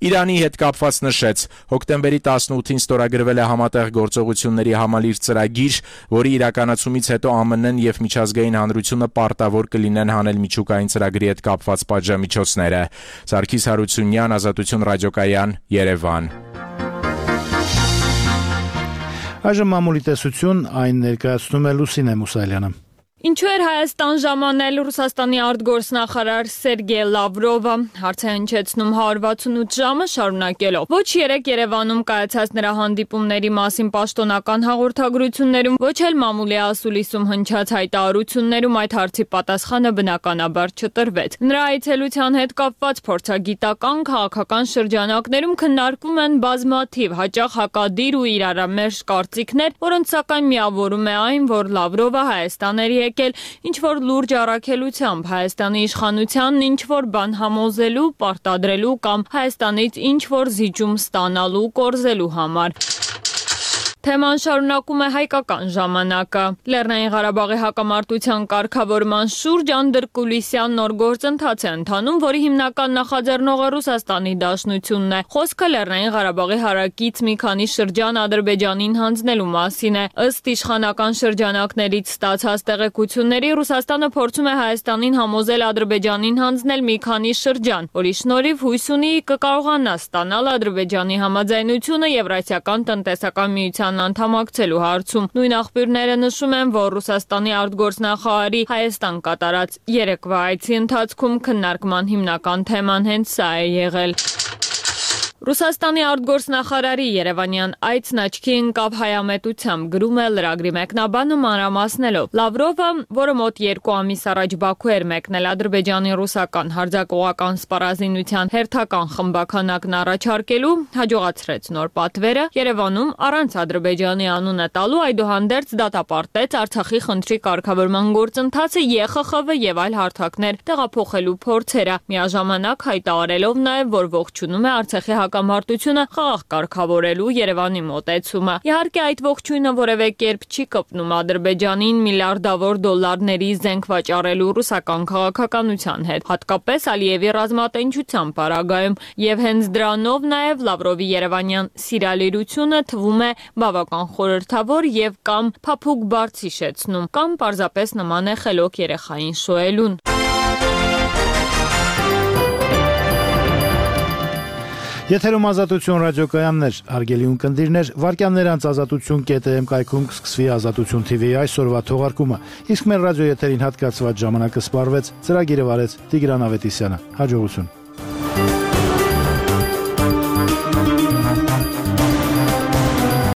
Իրանի հետ կապված նշեց. հոկտեմբերի տասնութին ստորագրվել է համատեղ գործողությունների համալիր ծրագիր, որի իրականացումից հետո ԱՄՆ-ն եւ միջազգային հանրությունը պարտավոր կլինեն հանել միջուկային ծրագրի հետ կապված պատժամիջոցները։ Սարգիս Հարությունյան, Ազատություն ռադիոկայան, Երևան։ Այժմ մամուլի տեսություն, այն ներկայացնում է Լուսինե Մուսալյանը։ Ինչու էր Հայաստան ժամանել Ռուսաստանի արտգործնախարար Սերգեյ Լավրովը, հարց է հնչեցնում հարյուր վաթսունութ ժամը շարունակելով։ Ոչ երեկ Երևանում կայացած նրա հանդիպումների մասին պաշտոնական հաղորդագրություններում, ոչ էլ մամուլի ասուլիսում հնչած հայտարարություններում այդ հարցի պատասխանը բնականաբար չտրվեց։ Նրա այցելության հետ կապված փորձագիտական, քաղաքական շրջանակներում քննարկվում են բազմաթիվ հաճախ հակադիր ու իրարամերժ կարծիքներ, որոնց սակայն միավորում է այն, որ Լավրովը Հայաստան էր եկել ինչ-որ լուրջ առաքելությամբ Հայաստանի իշխանությանն ինչ-որ բան համոզելու, պարտադրելու կամ Հայաստանից ինչ-որ զիջում ստանալու, կորզելու համար։ Թեման շարունակում է հայկական ժամանակը։ Լեռնային Ղարաբաղի հակամարտության կարգավորման շուրջ անդրկուլիսյան նոր գործընթաց է ընթանում, որի հիմնական նախաձեռնողը Ռուսաստանի Դաշնությունն է։ Խոսքը Լեռնային Ղարաբաղի հարակից մի քանի շրջան Ադրբեջանին հանձնելու մասին է։ Ըստ իշխանական շրջանակներից ստացած տեղեկությունների Ռուսաստանը փորձում է Հայաստանին համոզել Ադրբեջանին հանձնել մի քանի շրջան, որի շնորհիվ հույս ունի կկարողանա ստանալ Ադրբեջանի համաձայնությունը Եվրասիական տնտեսական միության անդամակցելու հարցում։ Նույն աղբյուրները նշում են, որ Ռուսաստանի արտգործնախարարի Հայաստան կատարած երեկվա այցի ընթացքում քննարկման հիմնական թեման հենց սա է եղել։ Ռուսաստանի արտգործնախարարի Երևանյան այցն աչքի ընկավ հայամետությամբ, գրում է լրագրի մեկնաբանը մանրամասնելով։ Լավրովը, որը մոտ երկու ամիս առաջ Բաքու էր մեկնել Ադրբեջանի ռուսական հարձակողական սպառազինության հերթական խմբաքանակն առաջարկելու, հաջողացրեց նոր պատվերը Երևանում առանց Ադրբեջանի անունը տալու, այդուհանդերձ դատապարտեց Արցախի խնդրի կարգավորման գործընթացը, Ե Խ Խ V եւ այլ հարթակներ տեղափոխելու փորձերը, միաժամանակ հայտարարելով նաեւ, որ ողջունում է Արցախի հակամարտությունը խաղաղ կարգավորելու Երևանի մոտեցումը։ Իհարկե այդ ողջույնը որևէ կերպ չի կպնում Ադրբեջանին միլիարդավոր դոլարների զենք վաճառելու ռուսական քաղաքականության հետ, հատկապես Ալիևի ռազմատենչության պարագայում, եւ հենց դրանով նաեւ Լավրովի երևանյան սիրալիրությունը թվում է բավական խորհրդավոր եւ կամ փափուկ բարձ հիշեցնում, կամ պարզապես նման է խելոք երեխային շոյելուն։ Եթերում Ազատություն ռադիոկայաններ, հարգելի ունկնդիրներ, վարկյաններ անց ազատություն.am կայքում կսկսվի Ազատություն թի վի այսօրվա թողարկումը, իսկ մեր ռադիո եթերին հատկացված ժամանակը սպառվեց, ծրագիրը վարեց Տիգրան Ավետիսյանը։ Հաջողություն։